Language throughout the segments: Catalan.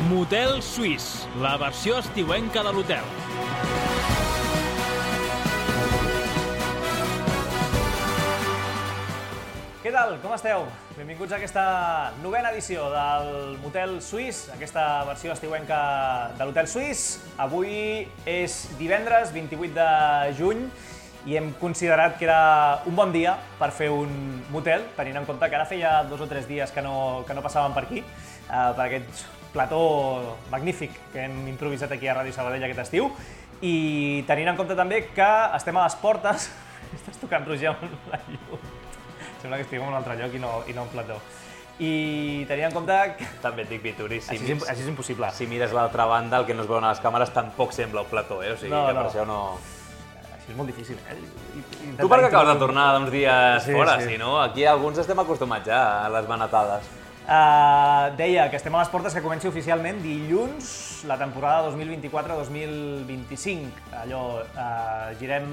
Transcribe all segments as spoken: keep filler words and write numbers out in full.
Motel Suís, la versió estiuenca de l'hotel. Què tal? Com esteu? Benvinguts a aquesta novena edició del Motel Suís, aquesta versió estiuenca de l'Hotel Suís. Avui és divendres vint-i-vuit de juny i hem considerat que era un bon dia per fer un motel, tenint en compte que ara feia dos o tres dies que no, que no passàvem per aquí, eh, per aquest plató magnífic que hem improvisat aquí a Ràdio Sabadell aquest estiu, i tenint en compte també que estem a les portes. Estàs tocant, Roger, amb la llum. Sembla que estic en un altre lloc i no, i no en plató. I tenint en compte que... També et dic, Vituri, si, Així és, així és impossible. si mires l'altra banda, el que no es veu a les càmeres tampoc sembla un plató, eh? O sigui, No, que per no. això no... Així és molt difícil, eh? I- intentar Tu perquè acabes de introduir- tornar d'uns dies Sí, fora, sí. si no? Aquí alguns estem acostumats ja a les manatades. Uh, deia que estem a les portes que comenci oficialment dilluns la temporada dos mil vint-i-quatre dos mil vint-i-cinc. Allò, uh, girem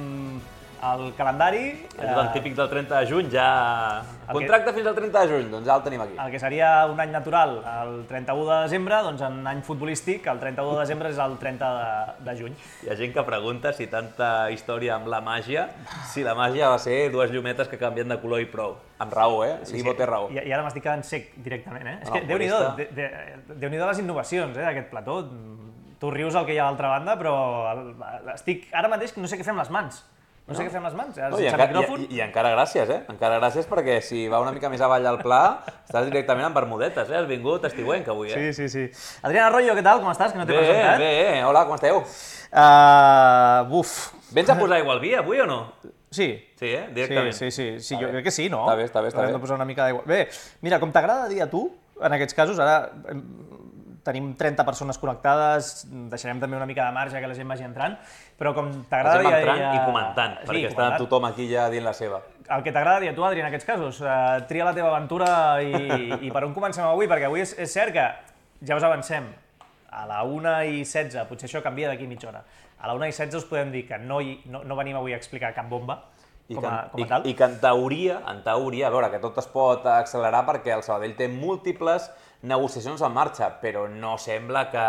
el calendari. Allò del típic del trenta de juny, ja... que- Contracte fins al trenta de juny, doncs ja el tenim aquí. El que seria un any natural el trenta-u de desembre, doncs en any futbolístic el trenta-u de desembre és el trenta de, de juny. Hi ha gent que pregunta si tanta història amb la màgia, si la màgia va ser dues llumetes que canvien de color i prou. Amb raó, eh? Sí, Ivo té raó. I, I ara m'estic quedant sec directament, eh? És No, que Déu-n'hi-do, humorista. de, de, Déu-n'hi-do les innovacions, eh, d'aquest plató. Tu rius el que hi ha a l'altra banda, però el, estic ara mateix que no sé què fer amb les mans. No, sé què fer amb les mans, eh, No, i, sense encara, micròfon. i, I encara gràcies, eh? Encara gràcies perquè si va una mica més avall al pla, estàs directament amb bermudetes, eh? Has vingut estiuenc avui, eh? Sí, sí, sí. Adriana Arroyo, què tal? Com estàs? Que no t'he Bé, presentat. bé, eh? Hola, com esteu? Uh, buf. Vens a posar aigua al vi avui o no? Sí. Sí, eh? Sí, Directament. sí, sí, sí, Està jo bé. crec que sí, no? Està bé, està bé, està Hem bé. de posar una mica d'aigua. Bé, mira, com t'agrada dir a tu, en aquests casos, ara em, tenim trenta persones connectades, deixarem també una mica de marge que la gent vagi entrant, però com t'agrada Estem dir... entrant a- i comentant, Sí, perquè està comentant. tothom aquí ja dient la seva. El que t'agrada dir a tu, Adri, en aquests casos, uh, tria la teva aventura i, i per on comencem avui, perquè avui és, és cert que, ja us avancem, a la una i setze, potser això canvia d'aquí mitja hora, a la una i setze us podem dir que no, hi, no, no venim avui a explicar cap bomba, I com que, a, com a i, tal. I que en teoria, en teoria, a veure, que tot es pot accelerar perquè el Sabadell té múltiples negociacions en marxa, però no sembla que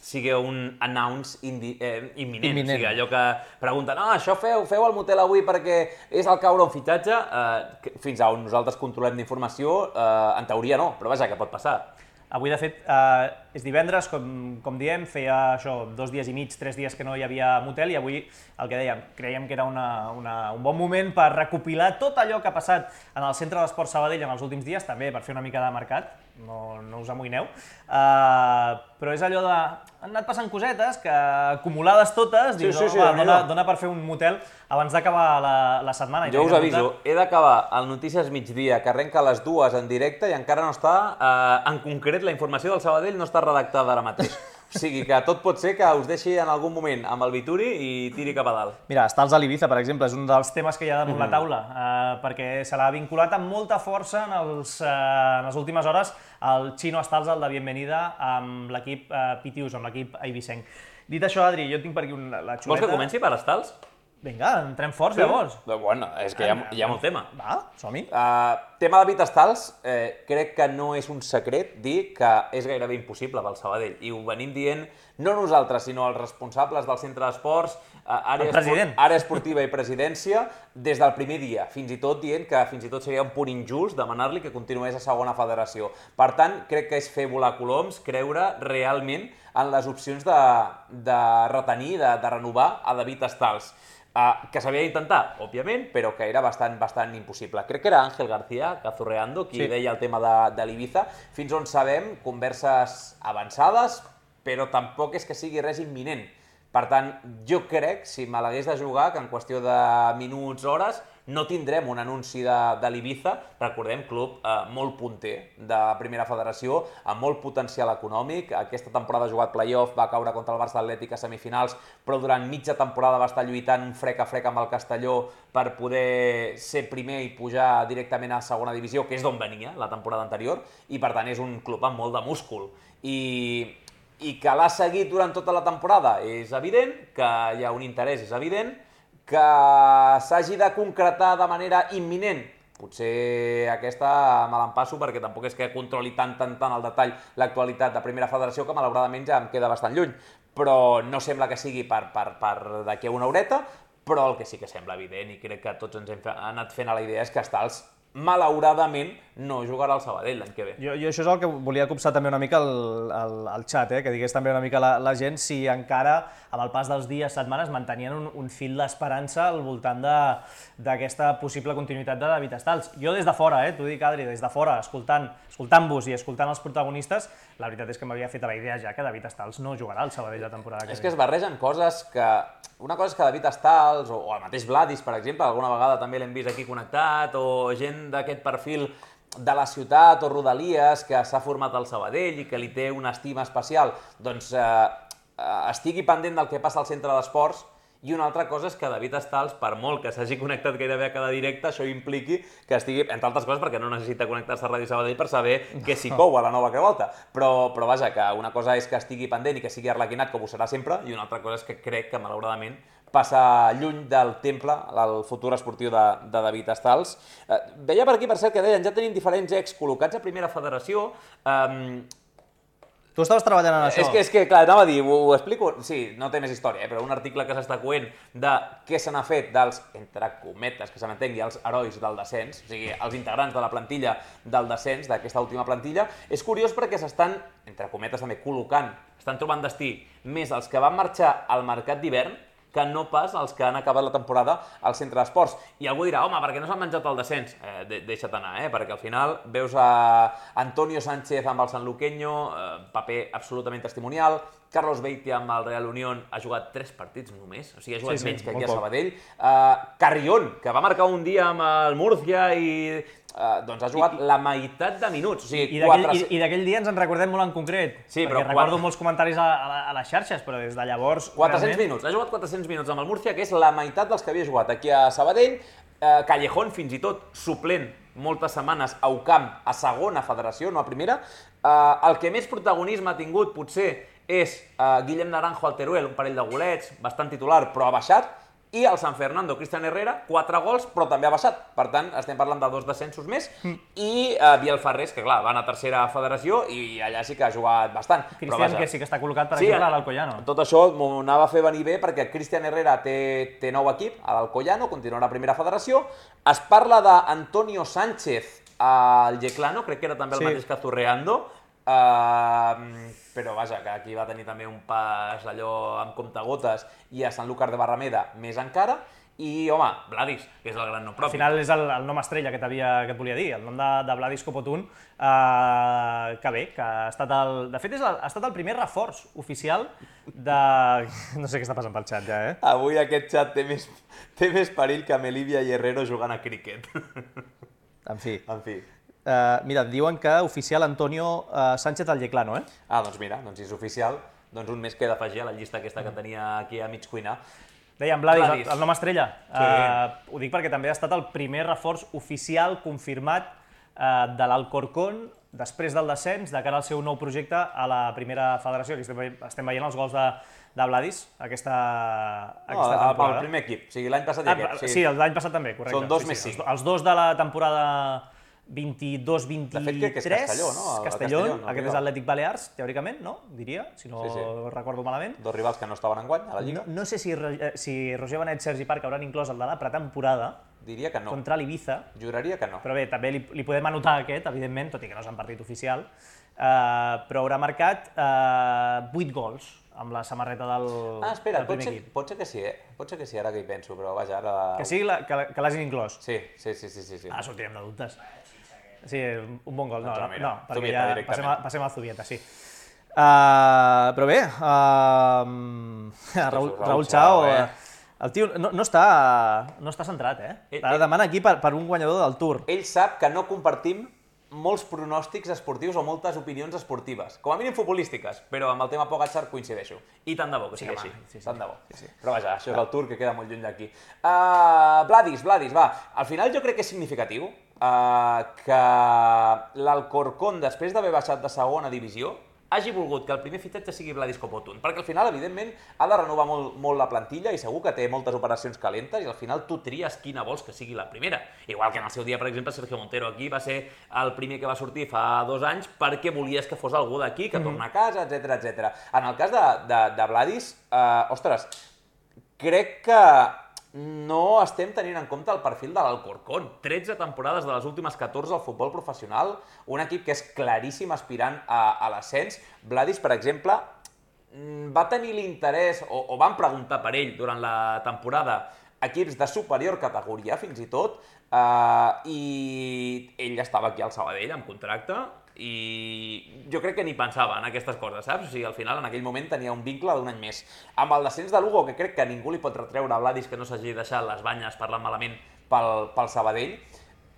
sigui un announce indi, eh, imminent. Imminent. O sigui, allò que pregunten, ah, això feu, feu el motel avui perquè és el caure un fitxatge, eh, que fins a on nosaltres controlem d'informació, eh, en teoria no, però vaja, que pot passar. Avui, de fet, eh, és divendres, com, com diem, feia això, dos dies i mig, tres dies que no hi havia motel, i avui, el que dèiem, creiem que era una, una, un bon moment per recopilar tot allò que ha passat en el Centre d'Esport Sabadell en els últims dies, també per fer una mica de mercat, no, no us amoïneu, uh, però és allò de... Han anat passant cosetes que, acumulades totes, dius, sí, oh, sí, va, Déu-n'hi-do. dona, dona per fer un motel abans d'acabar la, la setmana. I Jo tenint us en compte- aviso, he d'acabar el Notícies Migdia, que arrenca a les dues en directe i encara no està, eh, en concret, la informació del Sabadell no està redactada ara mateix. O sigui que tot pot ser que us deixi en algun moment amb el Vituri i tiri cap a dalt. Mira, Stals a l'Ibiza, per exemple, és un dels temes que hi ha damunt la taula, eh, perquè se l'ha vinculat amb molta força en, els, eh, en les últimes hores el Chino Stals, el de Bienvenida, amb l'equip eh, Pitius, amb l'equip eivissenc. Dit això, Adri, jo tinc per aquí una, la xuleta... Vols que comenci per Estals? Vinga, entrem forts, llavors. Bueno, és que hi ha, hi ha molt tema. Va, som-hi. Uh, tema de Vitastals, eh, crec que no és un secret dir que és gairebé impossible pel Sabadell, i ho venim dient no nosaltres, sinó els responsables del centre d'esports, uh, àrea, El president. esport, àrea esportiva i presidència, des del primer dia, fins i tot dient que fins i tot seria un punt injust demanar-li que continués a segona federació. Per tant, crec que és fer volar coloms, creure realment en les opcions de, de retenir, de, de renovar a David Estals. Uh, que s'havia d'intentar, òbviament, però que era bastant, bastant impossible. Crec que era Ángel García, Cazurreando, qui Sí. deia el tema de, de l'Ibiza. Fins on sabem, converses avançades, però tampoc és que sigui res imminent. Per tant, jo crec, si me l'hagués de jugar, que en qüestió de minuts, hores, no tindrem un anunci de, de l'Ibiza. Recordem, club eh, molt punter de primera federació, amb molt potencial econòmic. Aquesta temporada ha jugat play-off, va caure contra el Barça Atlètic a semifinals, però durant mitja temporada va estar lluitant un frec a frec amb el Castelló per poder ser primer i pujar directament a segona divisió, que és d'on venia la temporada anterior, i per tant és un club amb molt de múscul. I, i que l'ha seguit durant tota la temporada és evident, que hi ha un interès és evident, que s'hagi de concretar de manera imminent potser aquesta me l'empasso perquè tampoc és que controli tant, tant, tant al detall l'actualitat de Primera Federació, que malauradament ja em queda bastant lluny. Però no sembla que sigui per, per, per d'aquí a una horeta, però el que sí que sembla evident, i crec que tots ens hem anat fent a la idea, és que Stals, malauradament, no jugarà al Sabadell l'any que ve. Jo, jo això és el que volia copsar també una mica al, al, al xat, eh? Que digués també una mica la, la gent si encara, amb el pas dels dies, setmanes, mantenien un, un fil d'esperança al voltant d'aquesta possible continuïtat de David Stals. Jo des de fora, eh? T'ho dic, Adri, des de fora, escoltant, escoltant-vos i escoltant els protagonistes, la veritat és que m'havia fet la idea ja que David Stals no jugarà al Sabadell la temporada que ve. És que es barregen coses que... Una cosa és que David Stals, o, o el mateix Vladis, per exemple, alguna vegada també l'hem vist aquí connectat, o gent d'aquest perfil de la ciutat o rodalies que s'ha format al Sabadell i que li té una estima especial, doncs eh, estigui pendent del que passa al centre d'esports. I una altra cosa és que David Stals, per molt que s'hagi connectat gairebé a cada directe, això impliqui que estigui, entre altres coses, perquè no necessita connectar-se a Ràdio Sabadell per saber què s'hi cou a la nova que volta. Però, però vaja, que una cosa és que estigui pendent i que sigui arlequinat, com ho serà sempre, i una altra cosa és que crec que, malauradament, passa lluny del temple el futur esportiu de, de David Stals. Eh, veia per aquí, per cert, que deien, ja tenim diferents ex col·locats a Primera Federació. Eh, Tu estaves treballant en això. És que, és que clar, anava a dir, ho, ho explico, sí, no té més història, eh, però un article que s'està coent de què se n'ha fet dels, entre cometes, que se m'entengui, els herois del descens, o sigui, els integrants de la plantilla del descens, d'aquesta última plantilla, és curiós perquè s'estan, entre cometes també, col·locant, estan trobant destí més els que van marxar al mercat d'hivern que no pas els que han acabat la temporada al centre d'esports. I algú dirà, home, perquè no s'han menjat el descens? Eh, de deixa't anar, eh? Perquè al final veus a Antonio Sánchez amb el Sanluqueño, eh, paper absolutament testimonial, Carlos Beitia amb el Real Unión ha jugat tres partits només, o sigui, ha jugat sí, sí, menys que aquí a Sabadell. Uh, Carrión, que va marcar un dia amb el Murcia i uh, doncs ha jugat I, la meitat de minuts. O sigui, I d'aquell quatre... dia ens en recordem molt en concret, sí, perquè recordo quatre... molts comentaris a, a, a les xarxes, però des de llavors... quatre-cents realment... minuts, ha jugat quatre-cents minuts amb el Murcia, que és la meitat dels que havia jugat aquí a Sabadell. Uh, Callejón, fins i tot, suplent moltes setmanes a U C A M, a segona federació, no a primera. Uh, el que més protagonisme ha tingut, potser, és uh, Guillem Naranjo al Teruel, un parell de golets, bastant titular, però ha baixat, i el San Fernando, Cristian Herrera, quatre gols, però també ha baixat. Per tant, estem parlant de dos descensos més, mm. i uh, Biel Ferrés, que clar, van a tercera federació, i allà sí que ha jugat bastant. Cristian, que sí que està col·locat, per sí, exemple, a l'Alcoyano. Tot això m'ho anava a fer venir bé, perquè Cristian Herrera té, té nou equip, a l'Alcoyano, continuarà a primera federació. Es parla d'Antonio Sánchez al Yeclano, crec que era també el sí. mateix que Zurreando, Uh, però vaja, que aquí va tenir també un pas allò amb comptagotes, i a Sanlúcar de Barrameda més encara, i home, Vladis, que és el gran nom propi. Al final és el, el nom estrella que, que et volia dir, el nom de, de Vladis Copotun, uh, que bé, que ha estat el... De fet, és el, ha estat el primer reforç oficial de... No sé què està passant pel xat ja, eh? Avui aquest xat té més, té més perill que Melivia i Herrero jugant a críquet. En fi. En fi. Uh, mira, diuen que oficial Antonio uh, Sánchez al Yeclano, eh? Ah, doncs mira, doncs si és oficial, doncs un més que he d'afegir a la llista aquesta que tenia aquí a mig cuinar. Dèiem, Vladis, Vladis. El, el nom estrella. Sí. Uh, ho dic perquè també ha estat el primer reforç oficial confirmat uh, de l'Alcorcón després del descens de cara al seu nou projecte a la primera federació. Aquí estem, estem veient els gols de, de Vladis aquesta, aquesta no, temporada. El primer equip, o sigui, l'any passat i ah, aquest. Sí, sí l'any passat també, correcte. Són dos sí, més sí. cinc. Els, els dos de la temporada vint-i-dos vint-i-tres, de fet, crec que és Castelló, no? Castelló, Castelló no, aquest és Atlètic Balears, teòricament, no? Diria, si no sí, sí. recordo malament. Dos rivals que no estaven enguany a la Lliga. No, no sé si, si Roger Benet i Sergi Parc hauran inclòs el de la pretemporada. Diria que no. Contra l'Ibiza. Juraria que no. Però bé, també li, li podem anotar aquest, evidentment, tot i que no és un partit oficial, uh, però haurà marcat uh, vuit gols amb la samarreta del, ah, espera, del primer pot ser, equip. Pot ser que sí, eh? Pot ser que sí, ara que hi penso, però vaja, ara... Que sigui la, que, que l'hagin inclòs? Sí, sí, sí, sí, sí. Ah, sortirem de dubtes. Sí, un bon gol. No, no, no, mira, no perquè Zubieta, ja passem, a, passem al Zubieta, sí. Uh, però bé, uh, Raül, Raül Chao, eh? el tio no, no, està, no està centrat, eh? Ell, Ara demana aquí per, per un guanyador del Tour. Ell sap que no compartim molts pronòstics esportius o moltes opinions esportives, com a mínim futbolístiques, però amb el tema Pogačar coincideixo. I tant de bo que sigui sí, així, sí, sí, tant de bo. Sí, sí. Però vaja, això és el Tour que queda molt lluny d'aquí. Uh, Vladis, Vladis, va, al final jo crec que és significatiu uh, que l'Alcorcón, després d'haver baixat de segona divisió, hagi volgut que el primer fitxatge sigui Vladis Copotun, perquè al final, evidentment, ha de renovar molt, molt la plantilla i segur que té moltes operacions calentes i al final tu tries quina vols que sigui la primera. Igual que en el seu dia, per exemple, Sergio Montero aquí va ser el primer que va sortir fa dos anys perquè volies que fos algú d'aquí, que torna a casa, etcètera, etcètera. En el cas de, de, de Vladis, eh, ostres, crec que no estem tenint en compte el perfil de l'Alcorcón. tretze temporades de les últimes catorze al futbol professional, un equip que és claríssim aspirant a, a l'ascens. Vladis, per exemple, va tenir l'interès, o, o van preguntar per ell durant la temporada, equips de superior categoria, fins i tot, eh, i ell estava aquí al Sabadell amb contracte, i jo crec que ni pensava en aquestes coses, saps? O sigui, al final, en aquell moment, tenia un vincle d'un any més. Amb el descens de Lugo, que crec que ningú li pot retreure a Vladis que no s'hagi deixat les banyes parlant malament pel, pel Sabadell,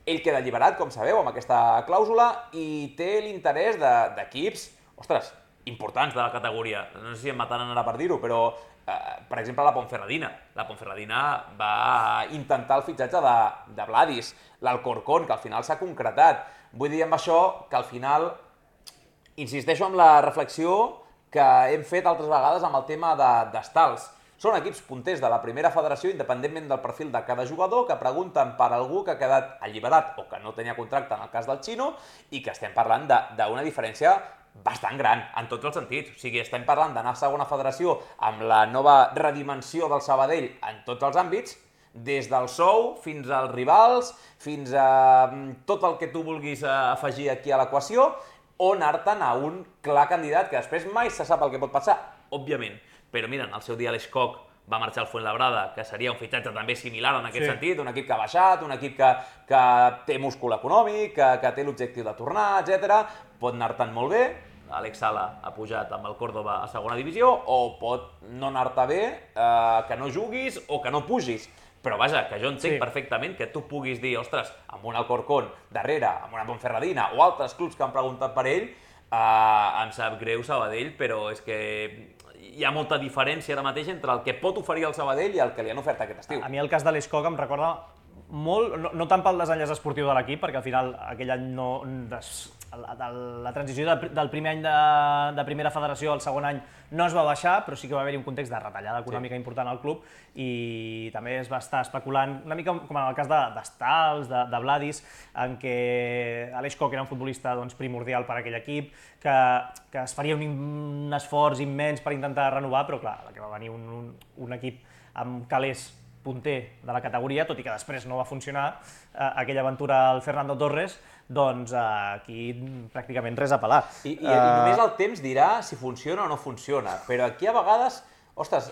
ell queda alliberat, com sabeu, amb aquesta clàusula, i té l'interès d'equips, ostres, importants de la categoria. No sé si em mataran ara per dir-ho, però, eh, per exemple, la Ponferradina. La Ponferradina va intentar el fitxatge de, de Vladis, l'Alcorcón, que al final s'ha concretat. Vull dir amb això que al final insisteixo en la reflexió que hem fet altres vegades amb el tema d'estals. Són equips punters de la primera federació, independentment del perfil de cada jugador, que pregunten per algú que ha quedat alliberat o que no tenia contracte en el cas del Chino, i que estem parlant d'una diferència bastant gran, en tots els sentits. O sigui, estem parlant d'anar a segona federació amb la nova redimensió del Sabadell en tots els àmbits, des del sou fins als rivals, fins a tot el que tu vulguis afegir aquí a l'equació, o anar-te'n a un clar candidat que després mai se sap el que pot passar, òbviament. Però mira, al seu dia l'Eix Coc va marxar al Fuenlabrada, que seria un fitxatge també similar en aquest sí. sentit, un equip que ha baixat, un equip que, que té múscul econòmic, que, que té l'objectiu de tornar, etcètera. Pot anar-te'n molt bé, Àlex Sala ha pujat amb el Córdoba a segona divisió, o pot no anar-te bé, eh, que no juguis o que no pugis. Però vaja, que jo entenc sí. perfectament que tu puguis dir, ostres, amb un Alcorcón darrere, amb una Ponferradina o altres clubs que han preguntat per ell, eh, em sap greu Sabadell, però és que hi ha molta diferència ara mateix entre el que pot oferir el Sabadell i el que li han ofert aquest estiu. A mi el cas de l'Eix Coc em recorda molt, no, no tant pel desenllaç esportiu de l'equip, perquè al final aquell any no... Des, la, la transició de, del primer any de, de primera federació al segon any no es va baixar, però sí que va haver-hi un context de retallada econòmica sí. important al club, i també es va estar especulant, una mica com en el cas d'Estals, de, de, de Vladis, en què Aleix Coc era un futbolista doncs, primordial per a aquell equip, que, que es faria un, un esforç immens per intentar renovar, però clar, que va venir un, un, un equip amb calés punter de la categoria, tot i que després no va funcionar eh, aquella aventura al Fernando Torres, doncs eh, aquí pràcticament res a pelar. I, i, uh... I només el temps dirà si funciona o no funciona, però aquí a vegades, ostres,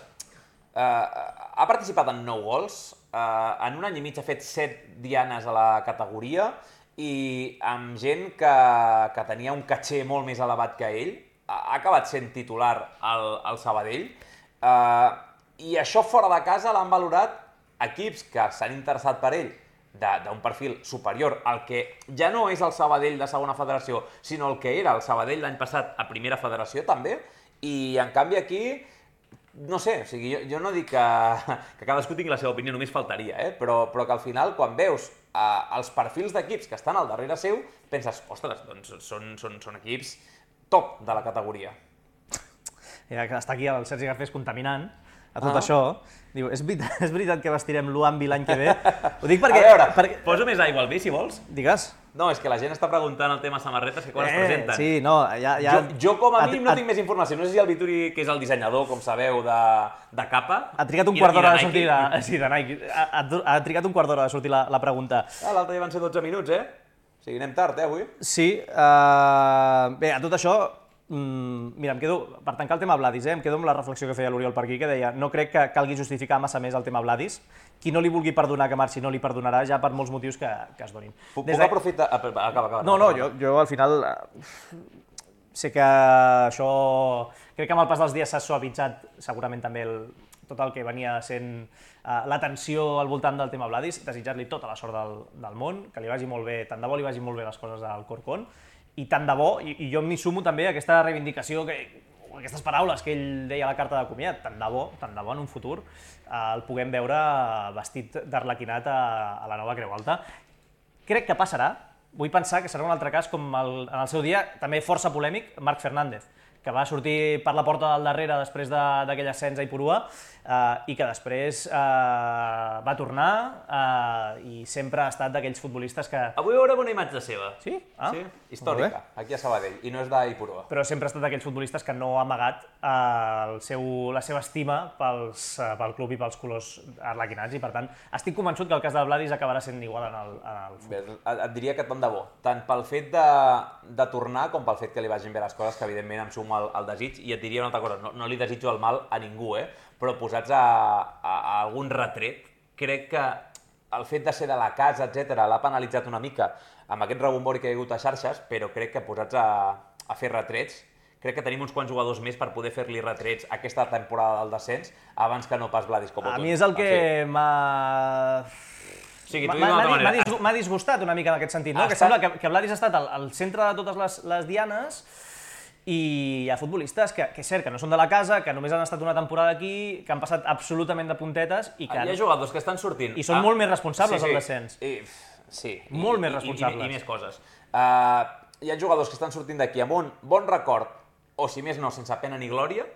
eh, ha participat en nou gols, eh, en un any i mig ha fet set dianes a la categoria i amb gent que, que tenia un caché molt més elevat que ell, ha acabat sent titular al, al Sabadell, eh, i això fora de casa l'han valorat equips que s'han interessat per ell d'un perfil superior al que ja no és el Sabadell de segona federació, sinó el que era el Sabadell l'any passat a primera federació també, i en canvi aquí, no sé, o sigui, jo, jo no dic que, que cadascú tingui la seva opinió, només faltaria, eh? però, però que al final quan veus eh, els perfils d'equips que estan al darrere seu, penses, ostres, doncs són, són, són equips top de la categoria. Ja que està aquí el Sergi Garcés contaminant a tot ah. això, diu, és veritat, és veritat que vestirem l'Uambi l'any que ve? Ho dic perquè... A veure, perquè... poso més aigua al vi, si vols. Digues. No, és que la gent està preguntant el tema samarretes que quan eh, es presenten. Sí, no, ja... ja... Jo, jo com a mínim no tinc més informació. No sé si el Vituri, que és el dissenyador, com sabeu, de, de capa... Ha trigat un quart d'hora de sortir de... Sí, de Nike. Ha, ha, ha trigat un quart d'hora de sortir la, la pregunta. Ah, l'altre dia van ser dotze minuts, eh? O sigui, anem tard, eh, avui? Sí. Uh... Bé, a tot això... Mm, mira, em quedo, per tancar el tema Vladis, eh, em quedo amb la reflexió que feia l'Oriol per aquí, que deia no crec que calgui justificar massa més el tema Vladis. Qui no li vulgui perdonar que marxi no li perdonarà, ja per molts motius que, que es donin. Puc de... aprofitar... Acaba, acaba. No, no, jo, jo al final sé que això... Crec que amb el pas dels dies s'ha suavitzat segurament també el, tot el que venia sent uh, la tensió al voltant del tema Vladis, desitjar-li tota la sort del, del món, que li vagi molt bé, tant de bo li vagi molt bé les coses al Corcón, i tant de bo, i, i jo m'hi sumo també a aquesta reivindicació, que, aquestes paraules que ell deia a la carta de comiat, tant de bo, tant de bo en un futur eh, el puguem veure vestit d'arlequinat a, a la nova Creu Alta. Crec que passarà, vull pensar que serà un altre cas com el, en el seu dia, també força polèmic, Marc Fernández, que va sortir per la porta del darrere després d'aquell ascens a Ipurua eh, i que després eh, va tornar eh, i sempre ha estat d'aquells futbolistes que... Avui veurem una imatge seva. Sí? Ah, Sí, històrica, aquí a Sabadell, i no és d'Ipurua. però sempre ha estat d'aquells futbolistes que no ha amagat eh, el seu, la seva estima pels, eh, pel club i pels colors arlequinats i per tant estic convençut que el cas de Vladis acabarà sent igual en el, en el futur. Bé, et diria que tant de bo, tant pel fet de, de tornar com pel fet que li vagin bé les coses, que evidentment em sumo al, al desig, i et diria una altra cosa, no, no li desitjo el mal a ningú, eh? Però posats a, a, a algun retret, crec que el fet de ser de la casa, etcètera, l'ha penalitzat una mica amb aquest rebombori que hi ha hagut a xarxes, però crec que posats a, a fer retrets, crec que tenim uns quants jugadors més per poder fer-li retrets aquesta temporada del descens abans que no pas Vladis Kopoton. A mi és el que m'ha... O sigui, M'ha t'ho dic d'una altra m'ha manera. disgu- m'ha disgustat una mica en aquest sentit, no? Ha Que estat- sembla que, que Vladis ha estat al, al centre de totes les, les dianes i hi ha futbolistes que, que és cert que no són de la casa, que només han estat una temporada aquí, que han passat absolutament de puntetes i que... Hi ha jugadors que estan sortint... I són molt més responsables del descens. I, sí. Molt i, més i- responsables. I, i, i més coses. Uh, hi ha jugadors que estan sortint d'aquí amb un bon record, o si més no, sense pena ni glòria,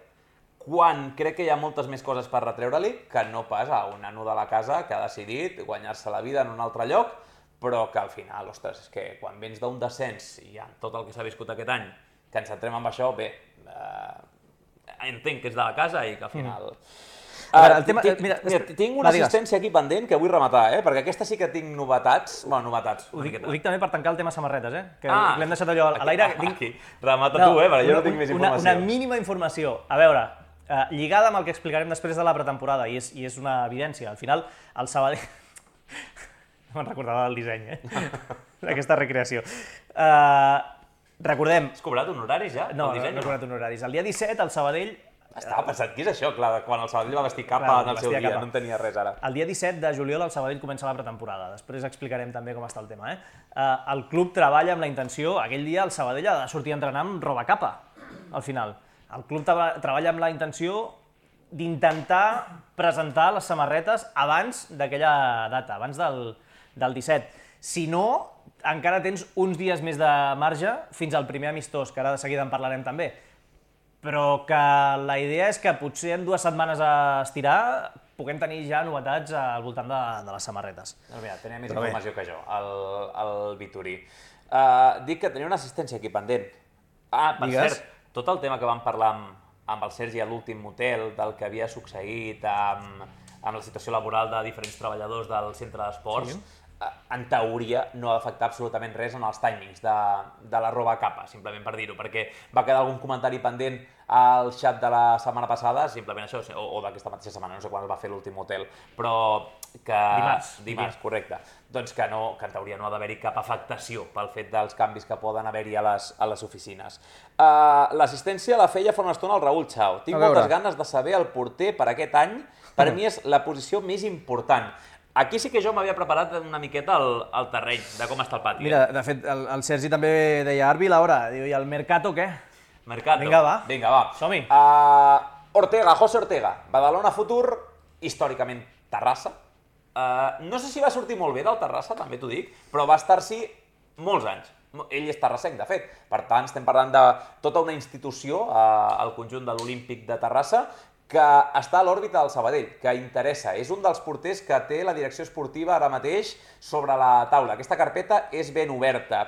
quan crec que hi ha moltes més coses per retreure-li que no pas a un nano de la casa que ha decidit guanyar-se la vida en un altre lloc, però que al final, ostres, és que quan vens d'un descens i amb tot el que s'ha viscut aquest any, que ens centrem en això, bé, eh, entenc que és de la casa i que al final... Mm. A veure, el Eh, tema- tinc, mira, mira, tinc una va, digues. assistència aquí pendent que vull rematar, eh? Perquè aquesta sí que tinc novetats, bueno, novetats, Ho una dic, miqueta. ho dic també per tancar el tema samarretes, eh? Que Ah, l'hem deixat allò a l'aire. Aquí, Tinc- aquí. Remata tu, eh? Perquè jo no tinc més una, informació. una mínima informació. A veure, eh, lligada amb el que explicarem després de la pretemporada, i és, i és una evidència. Al final, el Sabadell... No me'n recordava del disseny, eh? D'aquesta recreació. Eh, recordem... Has cobrat honoraris ja? No, el no, disseny, no he cobrat honoraris. El dia disset, el Sabadell... Estava pensant, què és això? Clar, quan el Sabadell va vestir capa Clar, en el seu vestia dia, capa. no en tenia res ara. El dia disset de juliol el Sabadell comença la pretemporada. Després explicarem també com està el tema. Eh? Eh, el club treballa amb la intenció... Aquell dia el Sabadell ha de sortir a entrenar amb roba capa, al final. El club treba- treballa amb la intenció d'intentar presentar les samarretes abans d'aquella data, abans del, del disset. Si no, encara tens uns dies més de marge fins al primer amistós, que ara de seguida en parlarem també. Però que la idea és que potser en dues setmanes a estirar puguem tenir ja novetats al voltant de, de les samarretes. Doncs mira, tenia més Però bé. informació que jo, el, el Vitorí. Uh, dic que tenia una assistència aquí pendent. Ah, per Digues. cert, tot el tema que vam parlar amb, amb el Sergi a l'últim motel, del que havia succeït amb, amb la situació laboral de diferents treballadors del centre d'esports, Sí. eh, en teoria no ha d'afectar absolutament res en els timings de, de la roba capa, simplement per dir-ho, perquè va quedar algun comentari pendent al xat de la setmana passada, simplement això, o, o d'aquesta mateixa setmana, no sé quan es va fer l'últim hotel, però que... Dimarts, Dimarts, correcte. Doncs que, no, que en teoria no ha d'haver-hi cap afectació pel fet dels canvis que poden haver-hi a, les, a les oficines. Uh, L'assistència la feia fa una estona el Raül Chao. Tinc A veure. moltes ganes de saber el porter per aquest any. Per mi és la posició més important. Aquí sí que jo m'havia preparat una miqueta el, el terreny de com està el pati. Mira, de fet, el, el Sergi també deia Arbi, Laura, diu, i el Mercato què? Mercato. Vinga, va. Vinga, va. Som-hi. Uh, Ortega, José Ortega. Badalona Futur, històricament Terrassa. Uh, no sé si va sortir molt bé del Terrassa, també t'ho dic, però va estar-s'hi molts anys. Ell és terrassenc, de fet. Per tant, estem parlant de tota una institució, uh, al conjunt de l'Olímpic de Terrassa, que està a l'òrbita del Sabadell, que interessa. És un dels porters que té la direcció esportiva ara mateix sobre la taula. Aquesta carpeta és ben oberta.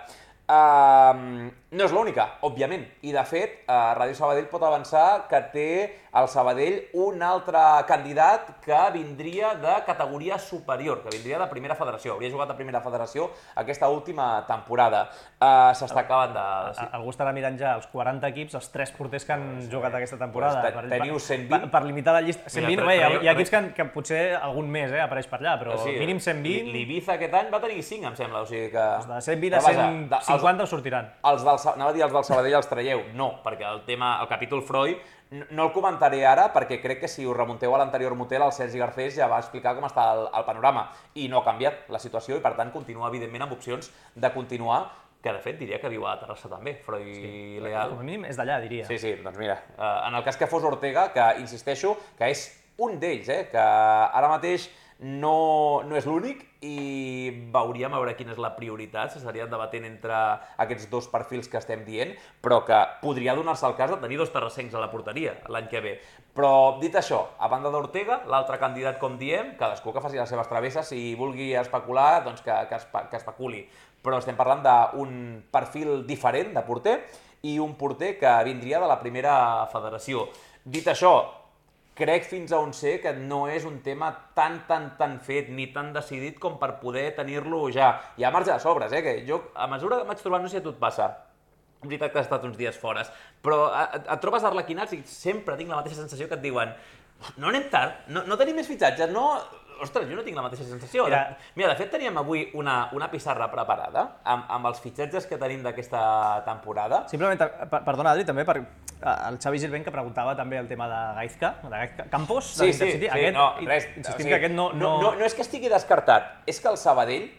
Uh, no és l'única, òbviament, i de fet, uh, Ràdio Sabadell pot avançar que té al Sabadell un altre candidat que vindria de categoria superior, que vindria de primera federació, hauria jugat a primera federació aquesta última temporada. Uh, S'està acabant de... Sí. Algú estarà mirant ja els quaranta equips, els tres porters que han jugat aquesta temporada. Pues te- teniu cent vint. Per, per limitar la llista. cent vint, Mira, bé, hi ha, però- hi ha equips que, que potser algun més eh, apareix per allà, però Sí, mínim cent vint, L'Ibiza aquest any va tenir cinc, em sembla, o sigui que... de cent vint a Però vaja, cent de- els- cinquanta us sortiran. Els del, Sa- anava a dir els del Sabadell els traieu. No, perquè el tema, el capítol Freud, n- no el comentaré ara perquè crec que si us remunteu a l'anterior motel, el Sergi Garcés ja va explicar com està el, el panorama i no ha canviat la situació i per tant continua evidentment amb opcions de continuar, que de fet diria que viu a Terrassa també, Freud sí, Leal. Com a mínim és d'allà, diria. Sí, sí, doncs mira, eh, en el cas que fos Ortega, que insisteixo que és un d'ells, eh, que ara mateix no, no és l'únic i veuríem a veure quina és la prioritat, s'estarien debatent entre aquests dos perfils que estem dient, però que podria donar-se el cas de tenir dos terrassencs a la porteria l'any que ve. Però, dit això, a banda d'Ortega, l'altre candidat, com diem, cadascú que faci les seves travesses, si vulgui especular, doncs que, que, espe que especuli. Però estem parlant d'un perfil diferent de porter i un porter que vindria de la primera federació. Dit això, crec fins a on sé que no és un tema tan, tan, tan fet ni tan decidit com per poder tenir-lo ja. Hi ha marge de sobres, eh? Que jo, a mesura que vaig trobant, no sé si a tu et passa, és veritat que has estat uns dies fora, però et, et trobes arlequinats i sempre tinc la mateixa sensació que et diuen no anem tard, no, no tenim més fitxatges, no... Ostres, jo no tinc la mateixa sensació. Mira, Mira de fet, teníem avui una, una pissarra preparada amb, amb els fitxatges que tenim d'aquesta temporada. Simplement, perdona, Adri, també per el Xavi Gilbent, que preguntava també el tema de Gaizka, de Gaizka Campos, de l'Intercity. Sí, sí, aquest, no, res. Insistim o sigui, que aquest no, no... No, no és que estigui descartat, és que el Sabadell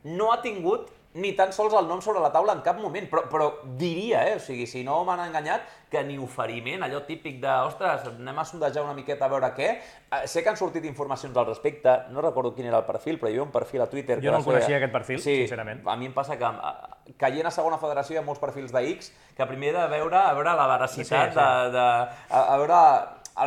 no ha tingut ni tan sols el nom sobre la taula en cap moment, però, però diria, eh? O sigui, si no m'han enganyat, que ni oferiment, allò típic de, ostres, anem a sondejar una miqueta a veure què. Eh, sé que han sortit informacions al respecte, no recordo quin era el perfil, però hi havia un perfil a Twitter... Jo no el coneixia, aquest perfil, sí, sincerament. A mi em passa que, caient a segona federació, hi ha molts perfils de X, que primer he de veure, a veure la veracitat, sí, sí. De, de, a, a veure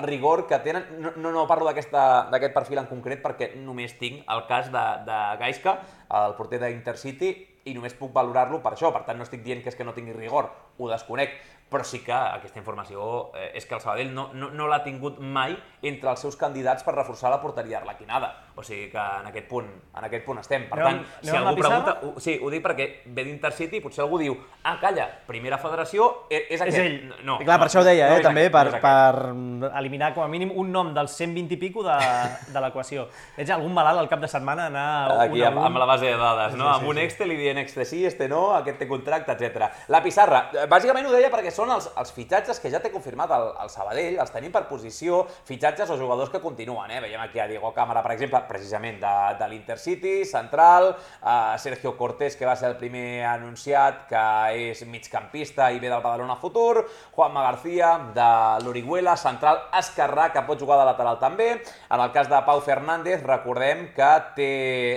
el rigor que tenen. No, no, no parlo d'aquest perfil en concret perquè només tinc el cas de, de Gaizka, el porter d'Intercity, i només puc valorar-lo per això, per tant no estic dient que és que no tingui rigor, ho desconec, però sí que aquesta informació eh, és que el Sabadell no, no, no l'ha tingut mai entre els seus candidats per reforçar la porteria arlequinada. O sigui que en aquest punt, en aquest punt estem. Per tant, si algú pregunta... Ho, sí, ho dic perquè ve d'Intercity i potser algú diu ah, calla, primera federació, és, és aquest. És ell. No, I clar, no, per això ho deia, no eh, també, aquest, per, per eliminar com a mínim un nom dels cent vint i pico de, de l'equació. Ets algun malalt al cap de setmana anar aquí, un a un. Amb la base de dades, no? Sí, sí, amb un sí. Excel i dient este sí, este no, aquest té contracte, etcètera. La pissarra, bàsicament ho deia perquè són els, els fitxatges que ja té confirmat el, el Sabadell, els tenim per posició, fitxatges o jugadors que continuen, eh? Veiem aquí a Diego Cámara, per exemple, precisament de, de l'Intercity, central, a Sergio Cortés, que va ser el primer anunciat, que és migcampista i ve del Badalona Futur, Juanma García, de l'Orihuela, central esquerrà, que pot jugar de lateral també. En el cas de Pau Fernández, recordem que té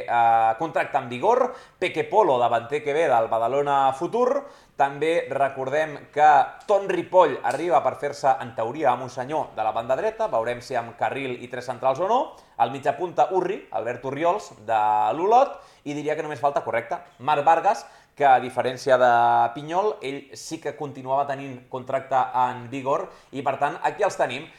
eh, contracte en vigor, Peque Polo, davanter que ve del Badalona Futur. També recordem que Ton Ripoll arriba per fer-se, en teoria, amb un senyor de la banda dreta, veurem si amb carril i tres centrals o no. El mitjapunta Urri, Albert Orriols, de l'Olot, i diria que només falta, correcte, Marc Vargas, que a diferència de Pinyol, ell sí que continuava tenint contracte en vigor, i per tant, aquí els tenim.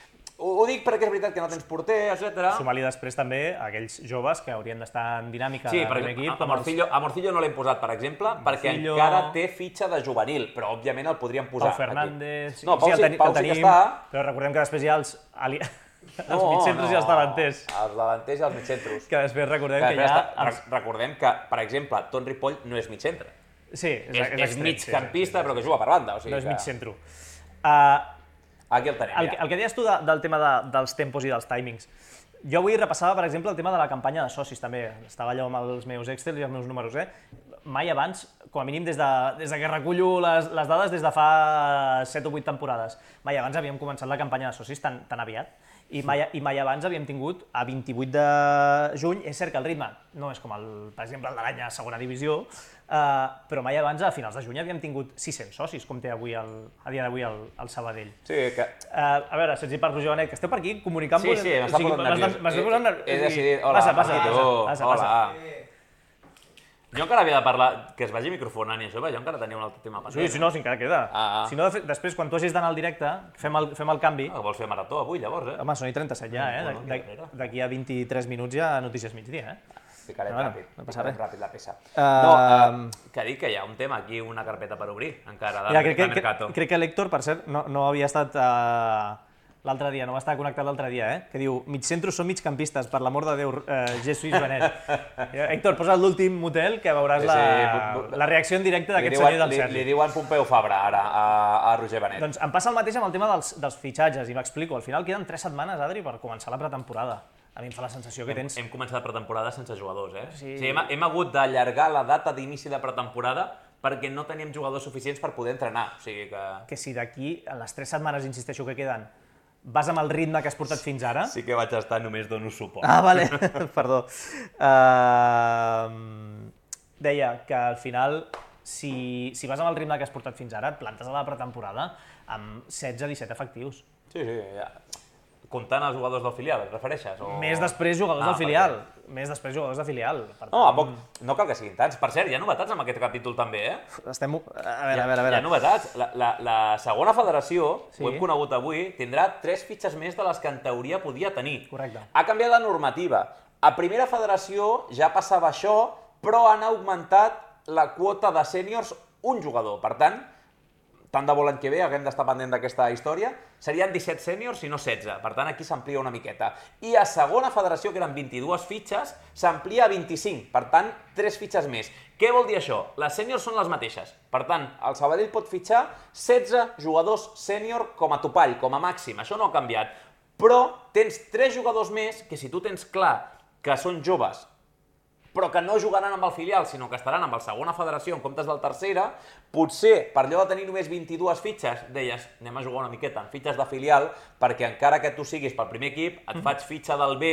Ho dic perquè és veritat que no tens porter, etcètera. Sumar-li després també aquells joves que haurien d'estar en dinàmica sí, de primer equip. A, a, Morcillo, a Morcillo no l'hem posat, per exemple, perquè Morcillo... encara té fitxa de juvenil, però òbviament el podríem posar. Pau Fernández... Aquí. No, Pau, sí, sí, Pau sí que està. Però recordem que després hi ha els, ali... els no, mitjcentros no, i els davanters. Els davanters i els mitjentros. Que després recordem que, que hi ha... Els... Recordem que, per exemple, Ton Ripoll no és mitcentre. Sí, és, és, és, és migcampista, sí, sí, però que juga per banda. O sigui no és que... mitcentro. Uh, Aquí el tenim, el, ja. El que deies tu de, del tema de, dels tempos i dels timings. Jo avui repassava, per exemple, el tema de la campanya de socis, també. Estava allò amb els meus Excel i els meus números, eh? Mai abans, com a mínim des de, des de que recullo les, les dades des de fa set o vuit temporades, mai abans havíem començat la campanya de socis tan, tan aviat. I mai, I mai abans havíem tingut, a vint-i-vuit de juny, és cert que el ritme no és com, el, per exemple, el de l'any a segona divisió, Uh, però mai abans, a finals de juny, havíem tingut sis-cents socis, com té avui el, a dia d'avui el, el Sabadell. Sí, que... Uh, a veure, si ets hi parlo, Joanet, que esteu per aquí comunicant... Sí, sí, m'està posant nerviós. M'està posant nerviós. He decidit... Hola, passa, passa, Marquito. passa, Hola. passa. Jo encara havia de parlar, que es vagi microfonant i això, jo encara tenia un altre tema pendent. Sí, si no, si encara queda. Ah, ah. Si no, després, quan tu hagis d'anar al directe, fem el, fem el canvi. Ah, vols fer marató avui, llavors, eh? Home, són i trenta-set ja, eh? D'aquí a vint-i-tres minuts ja notícies migdia, eh? Ficarem bueno, ràpid, no passa ficarem res. ràpid la peça. Uh... No, uh, que dic que hi ha un tema aquí, una carpeta per obrir, encara, de, Mira, crec, de Mercato. Crec, crec que l'Héctor, per cert, no, no havia estat uh, l'altre dia, no va estar connectat l'altre dia, eh? Que diu, migcentros són migcampistes, per l'amor de Déu, uh, Jesús Benet. Héctor, posa l'últim motel que veuràs sí, sí. La, la reacció en directe d'aquest senyor del Sergi. Li, li diuen Pompeu Fabra, ara, a, a Roger Benet. Doncs em passa el mateix amb el tema dels, dels fitxatges, i m'explico. Al final queden tres setmanes, Adri, per començar la pretemporada. A mi em fa la sensació que tens... Hem, hem començat la pretemporada sense jugadors, eh? Sí. O sigui, hem, hem hagut d'allargar la data d'inici de pretemporada perquè no teníem jugadors suficients per poder entrenar. O sigui que... Que si d'aquí, en les tres setmanes, insisteixo, que queden, vas amb el ritme que has portat fins ara... Sí que vaig estar, només dono suport. Ah, vale, perdó. Uh, deia que al final, si, si vas amb el ritme que has portat fins ara, et plantes a la pretemporada amb setze disset efectius. Sí, sí, ja. Comptant els jugadors del filial, et refereixes? O... Més després jugadors Ah, del filial. Més després jugadors de filial. Per No, a tant, poc, no cal que siguin tants. Per cert, hi ha novetats amb aquest capítol també, eh? Estem... A veure, a veure, a veure. Hi ha novetats. La, la, la segona federació, Sí. ho hem conegut avui, tindrà tres fitxes més de les que en teoria podia tenir. Correcte. Ha canviat la normativa. A primera federació ja passava això, però han augmentat la quota de sèniors un jugador. Per tant, tant de bo l'any que ve, haguem d'estar pendent d'aquesta història, serien disset sèniors i no setze. Per tant, aquí s'amplia una miqueta. I a segona federació, que eren vint-i-dues fitxes, s'amplia a vint-i-cinc. Per tant, tres fitxes més. Què vol dir això? Les sèniors són les mateixes. Per tant, el Sabadell pot fitxar setze jugadors sènior com a topall, com a màxim. Això no ha canviat. Però tens tres jugadors més que, si tu tens clar que són joves, però que no jugaran amb el filial, sinó que estaran amb el segona federació en comptes del tercera, potser, per allò de tenir només vint-i-dues fitxes, deies, anem a jugar una miqueta amb fitxes de filial, perquè encara que tu siguis pel primer equip, et faig fitxa del B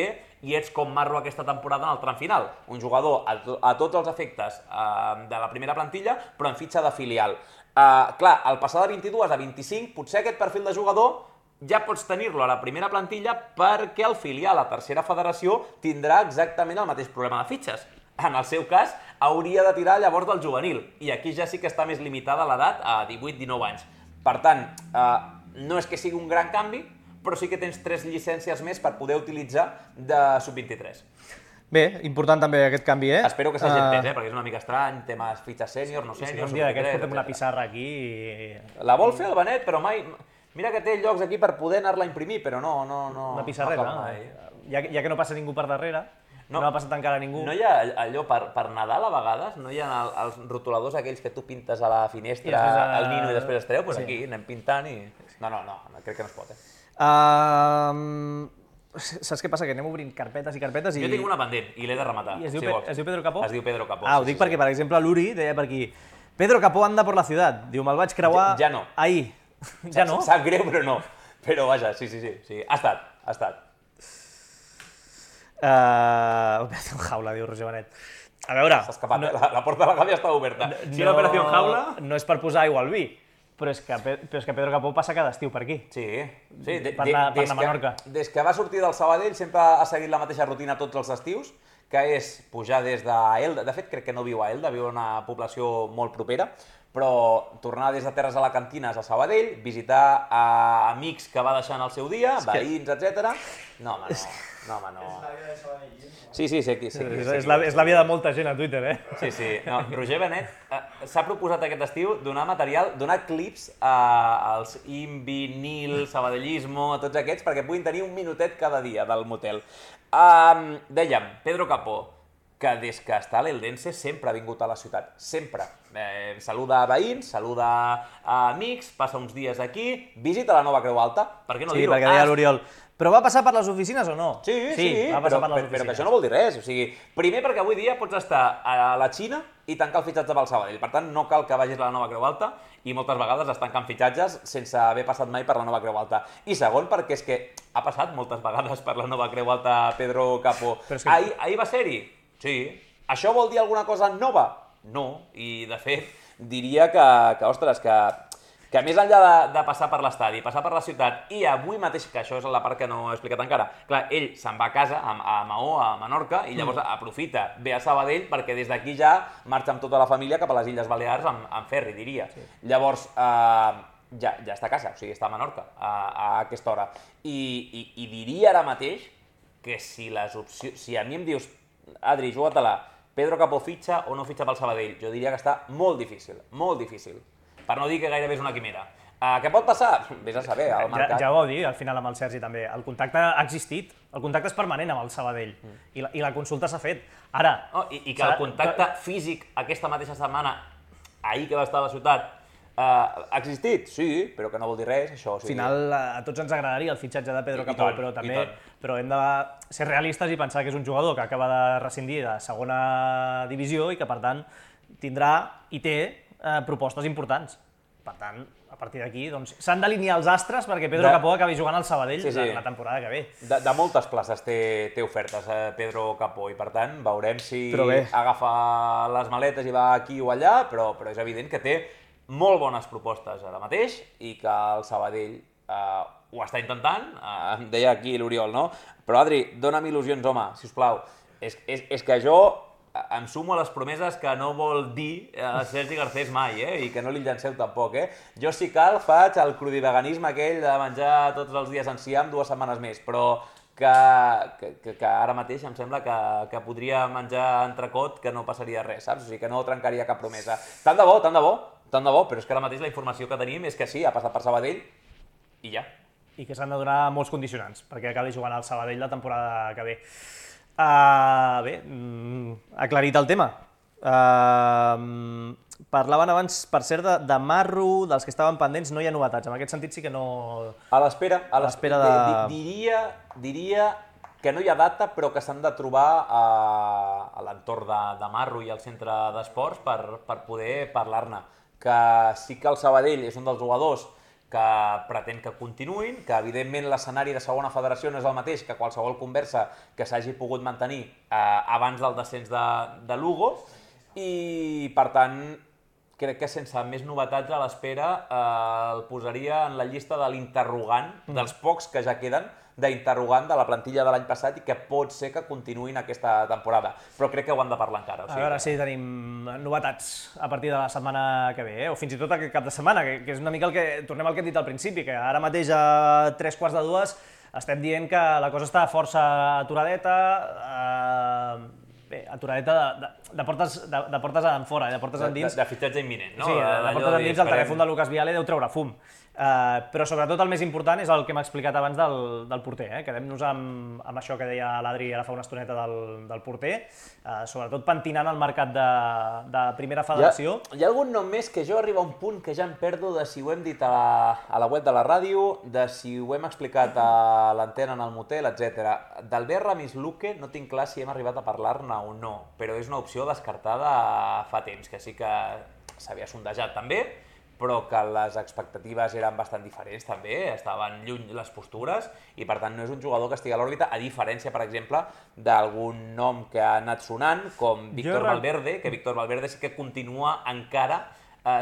i ets com Marro aquesta temporada en el tram final. Un jugador a, to a tots els efectes eh, de la primera plantilla, però en fitxa de filial. Eh, clar, al passar de vint-i-dues a vint-i-cinc, potser aquest perfil de jugador ja pots tenir-lo a la primera plantilla perquè el filial, la tercera federació, tindrà exactament el mateix problema de fitxes. En el seu cas, hauria de tirar llavors del juvenil, i aquí ja sí que està més limitada l'edat a divuit dinou anys. Per tant, eh, no és que sigui un gran canvi, però sí que tens tres llicències més per poder utilitzar de sub vint-i-tres. Bé, important també aquest canvi, eh? Espero que s'hagi entès, eh? perquè és una mica estrany, temes fitxes sènior, no Sí, sènior, un dia d'aquests portem una pissarra aquí i... La vol fer el Benet, però mai... Mira que té llocs aquí per poder anar-la a imprimir, però no, no, no... Una pissarreta, no no? mai. Ja, ja que no passa ningú per darrere, no, No. no ha passat encara ningú. No hi ha allò, per, per Nadal a vegades, no hi ha el, els rotuladors aquells que tu pintes a la finestra, I després, uh, el nino i després es treu? Doncs sí. aquí anem pintant i... No, no, no, crec que no es pot, eh? Uh, saps què passa? Que anem obrint carpetes i carpetes i... Jo tinc una pendent i l'he de rematar. I es diu, si Pe vols. es diu Pedro Capó? Es diu Pedro Capó. Ah, ho sí, dic sí, perquè, sí. per exemple, l'Uri deia per aquí Pedro Capó anda por la ciudad. Diu, me'l vaig creuar... Ja- ja no. Ahir. Ja no? Sap greu, però no. Però vaja, sí, sí, sí, sí. Ha estat, ha estat. Uh, Operació Jaula, diu Roger Benet. A veure... S'ha escapat, no, eh? la, la porta de la gàbia està oberta. Si no, l'operació Jaula... No és per posar aigua al vi, però és, que, però és que Pedro Capó passa cada estiu per aquí. Sí, sí. De, Per de, anar- per des, anar a Menorca. que, des que va sortir del Sabadell sempre ha seguit la mateixa rutina tots els estius, que és pujar des d'Elda. De fet, crec que no viu a Elda, viu a una població molt propera, però tornar des de Terres Alacantines a Sabadell, visitar a amics que va deixar en el seu dia, que- veïns, etcètera. No, home, no. No, home, no. Sí, sí, sé qui, sé qui, És, sé és, qui, la, sé és la vida de molta gent a Twitter, eh? Sí, sí. No, Roger Benet eh, s'ha proposat aquest estiu donar material, donar clips a, als Invinil, Sabadellismo, a tots aquests, perquè puguin tenir un minutet cada dia del motel. Um, dèiem, Pedro Capó, que des que està a l'Eldense sempre ha vingut a la ciutat, sempre. Eh, saluda a veïns, saluda a amics, passa uns dies aquí, visita la nova Creu Alta, per què no Sí, dir-ho? perquè deia Ah, l'Oriol. Però va passar per les oficines o no? Sí, sí, va però, passar per les però, però oficines. que això no vol dir res. O sigui, primer perquè avui dia pots estar a la Xina i tancar el fitxatge pel Sabadell. Per tant, no cal que vagis a la nova Creu Alta i moltes vegades es tanquen fitxatges sense haver passat mai per la nova Creu Alta. I segon, perquè és que ha passat moltes vegades per la nova Creu Alta Pedro Capó. Però és que- Ahir, ahir va ser-hi? Sí. Això vol dir alguna cosa nova? No. I, de fet, diria que, que ostres, que... que més enllà de, de passar per l'estadi, passar per la ciutat, i avui mateix, que això és la part que no he explicat encara, clar, ell se'n va a casa, a, a Maó, a Menorca, i llavors mm. aprofita, ve a Sabadell, perquè des d'aquí ja marxa amb tota la família cap a les Illes Balears amb, amb ferri, diria. Sí. Llavors, eh, ja, ja està a casa, o sigui, està a Menorca a, a aquesta hora. I, i, i diria ara mateix que si les opcions... Si a mi em dius, Adri, juga-te-la, Pedro Capó fitxa o no fitxa pel Sabadell, jo diria que està molt difícil, molt difícil. Per no dir que gairebé és una quimera. Uh, què pot passar? Vés a saber, al mercat. Ja, ja ho vau dir al final amb el Sergi també. El contacte ha existit, el contacte és permanent amb el Sabadell mm. i, la, i la consulta s'ha fet. Ara... Oh, i, I que el contacte físic aquesta mateixa setmana, ahir que va estar a la ciutat, uh, ha existit? Sí, però que no vol dir res, això. Al final a tots ens agradaria el fitxatge de Pedro I, Capó, i tant, però també i però hem de ser realistes i pensar que és un jugador que acaba de rescindir de segona divisió i que, per tant, tindrà i té eh, propostes importants. Per tant, a partir d'aquí s'han d'alinear els astres perquè Pedro Capó acabi jugant al Sabadell la temporada que ve. De moltes places té ofertes Pedro Capó i, per tant, veurem si agafa les maletes i va aquí o allà, però és evident que té molt bones propostes ara mateix i que el Sabadell ho està intentant, em deia aquí l'Oriol, no? Però, Adri, dona'm il·lusions, home, sisplau. És que jo em sumo a les promeses que no vol dir Sergi Garcés mai, i que no li llanceu tampoc. Jo, si cal, faig el crudiveganisme aquell de menjar tots els dies enciam dues setmanes més, però que ara mateix em sembla que podria menjar entrecot que no passaria res, saps? O sigui, que no trencaria cap promesa. Tant de bo, tant de bo, tant de bo, però és que ara mateix la informació que tenim és que sí, ha passat per Sabadell i ja. I que s'han de donar molts condicionants perquè acabi jugant al Sabadell la temporada que ve. Bé, aclarit el tema. Parlaven abans, per cert, de Marro, dels que estaven pendents, no hi ha novetats. En aquest sentit sí que no... A l'espera, a l'espera de... Diria que no hi ha data, però que s'han de trobar a l'entorn de Marro i al centre d'esports per poder parlar-ne. Que sí que el Sabadell és un dels jugadors que pretén que continuïn, que evidentment l'escenari de segona federació no és el mateix que qualsevol conversa que s'hagi pogut mantenir abans del descens de Lugo i, per tant, crec que sense més novetats a l'espera el posaria en la llista de l'interrogant, dels pocs que ja queden, d'interrogant de la plantilla de l'any passat i que pot ser que continuïn aquesta temporada. Però crec que ho han de parlar encara. A veure si tenim novetats a partir de la setmana que ve, o fins i tot aquest cap de setmana, que és una mica el que... Tornem al que hem dit al principi, que ara mateix a tres quarts de dues estem dient que la cosa està força aturadeta, bé, aturadeta de portes enfora, de portes endins. De fitxatge imminent, no? Sí, de portes endins el telèfon de Lucas Viale deu treure fum. Però sobretot el més important és el que m'ha explicat abans del porter. Quedem-nos amb això que deia l'Adri ara fa una estoneta del porter, sobretot pentinant el mercat de primera federació. Hi ha algun nom més que jo arriba a un punt que ja em perdo de si ho hem dit a la web de la ràdio, de si ho hem explicat a l'antena en el motel, etcètera. D'Albert Ramis Luque no tinc clar si hem arribat a parlar-ne o no, però és una opció descartada fa temps, que sí que s'havia sondejat també, però que les expectatives eren bastant diferents també, estaven lluny les postures i per tant no és un jugador que estigui a l'òrbita, a diferència, per exemple, d'algun nom que ha anat sonant, com Víctor Valverde, que Víctor Valverde sí que continua encara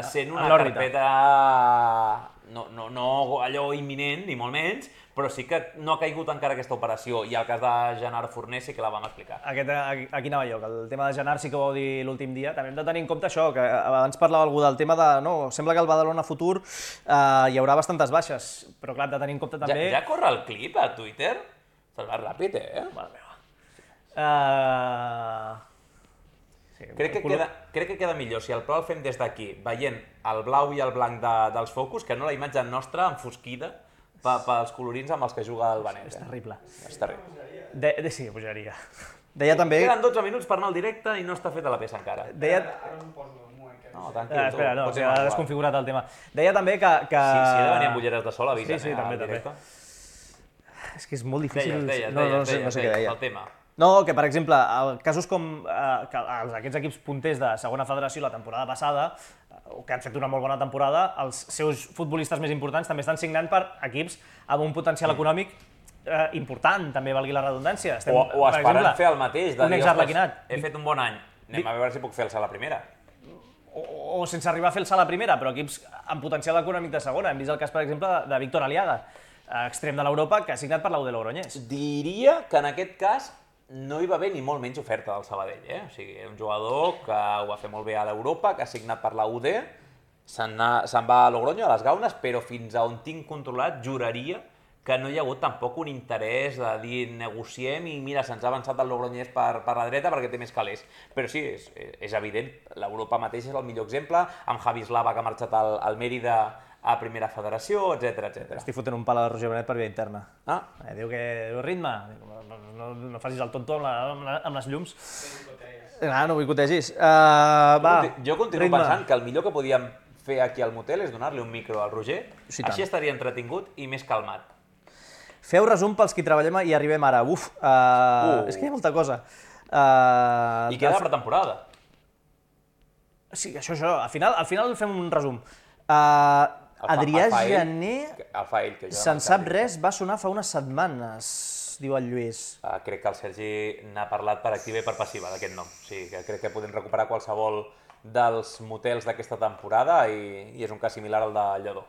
sent una carpeta no allò imminent, ni molt menys, però sí que no ha caigut encara aquesta operació, i el cas de Gerard Forner sí que la vam explicar. A quin anava jo? Que el tema de Gerard sí que ho vau dir l'últim dia. També hem de tenir en compte això, que abans parlava algú del tema de... No, sembla que al Badalona futur hi haurà bastantes baixes, però clar, hem de tenir en compte també... Ja corre el clip a Twitter? Se'l va ràpid, eh? Mare meva. Crec que queda millor si el pla el fem des d'aquí, veient el blau i el blanc dels focus, que no la imatge nostra enfosquida pels colorins amb els que juga el Benet. És terrible. És terrible. Sí, pujaria. Deia també... Queden dotze minuts per anar al directe i no està feta la peça encara. Deia... No, tranquil, tu. Espera, no, ha desconfigurat el tema. Deia també que... Si he de venir amb ulleres de sol, avisen. Sí, sí, també, també. És que és molt difícil... Deies, deies, deies, el tema. No, que per exemple, casos com aquests equips punters de segona federació la temporada passada, que han fet una molt bona temporada, els seus futbolistes més importants també estan signant per equips amb un potencial econòmic important, també valgui la redundància. O esperant fer el mateix, de dir, ostres, he fet un bon any, anem a veure si puc fer el salt a primera. O sense arribar a fer el salt a primera, però equips amb potencial econòmic de segona. Hem vist el cas, per exemple, de Víctor Aliaga, extrem de l'Europa, que ha signat per l'U D Logroñés. Diria que en aquest cas no hi va haver ni molt menys oferta del Sabadell, eh? O sigui, un jugador que ho va fer molt bé a l'Europa, que ha signat per la U D, se'n va a Logroño, a les Gaunes, però fins a on tinc controlat, juraria que no hi ha hagut tampoc un interès de dir negociem i mira, se'ns ha avançat el Logroñés per la dreta perquè té més calés. Però sí, és evident, l'Europa mateix és el millor exemple, amb Javi Slava que ha marxat al Mérida a primera federació, etcètera, etcètera. Estic fotent un pal a Roger Benet per via interna. Ah? Diu que ritme, no facis el tonto amb les llums. Ah, no boicotegis. Jo continuo pensant que el millor que podíem fer aquí al motel és donar-li un micro al Roger, així estaria entretingut i més calmat. Feu resum pels qui treballem i arribem ara. Uf, és que hi ha molta cosa. I queda la pretemporada. Sí, això, això. Al final fem un resum. Adrià Jané, el fa ell, que jo se'n sap res, va sonar fa unes setmanes, diu el Lluís. Uh, crec que el Sergi n'ha parlat per activa i per passiva d'aquest nom. O sigui, que crec que podem recuperar qualsevol dels motels d'aquesta temporada i, i és un cas similar al de Lledó.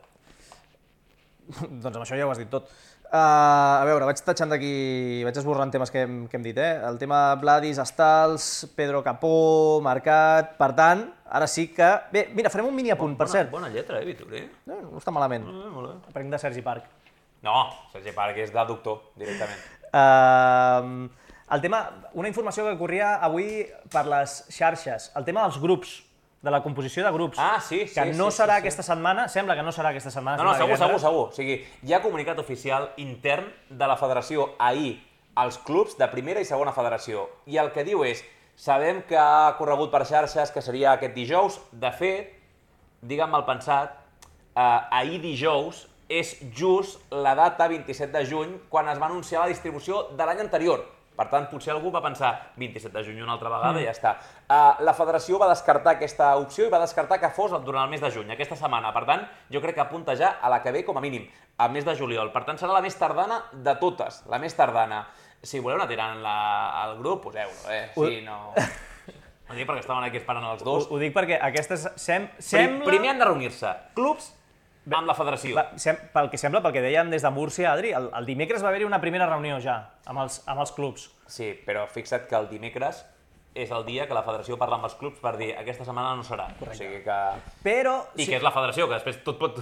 Doncs amb això ja ho has dit tot. Uh, a veure, vaig tatxant d'aquí, vaig esborrant temes que hem, que hem dit, eh? El tema Vladis, Estals, Pedro Capó, Mercat... Per tant, ara sí que... Bé, mira, farem un mini apunt, per cert. Bona lletra, eh, Vituri? No, no està malament. Eh, molt bé. Aprenc de Sergi Parc. No, Sergi Parc és de doctor, directament. Uh, el tema, una informació que corria avui per les xarxes, el tema dels grups, de la composició de grups. Ah, sí, sí. Que no sí, serà sí, aquesta setmana, sembla que no serà aquesta setmana. No, no, segur, segur, segur. O sigui, hi ha comunicat oficial intern de la federació ahir als clubs de primera i segona federació. I el que diu és, sabem que ha corregut per xarxes que seria aquest dijous. De fet, digue'm mal pensat, eh, ahir dijous és just la data vint-i-set de juny quan es va anunciar la distribució de l'any anterior. Per tant, potser algú va pensar vint-i-set de juny una altra vegada mm. i ja està. Uh, la federació va descartar aquesta opció i va descartar que fos durant el mes de juny, aquesta setmana. Per tant, jo crec que apunta ja a la que ve com a mínim, al mes de juliol. Per tant, serà la més tardana de totes, la més tardana. Si voleu anar tirant la, al grup, poseu-lo, eh? Sí, no... No dic perquè estaven aquí esperant els dos. Ho, ho dic perquè aquestes sem sembla... Primer han de reunir-se clubs amb la federació. Va, sem pel que sembla, pel que dèiem des de Múrcia, Adri, el, el dimecres va haver-hi una primera reunió ja amb els, amb els clubs. Sí, però fixa't que el dimecres és el dia que la federació parla amb els clubs per dir aquesta setmana no serà. Correcte. O sigui que... Però... I sí. que és la federació, que després tot pot,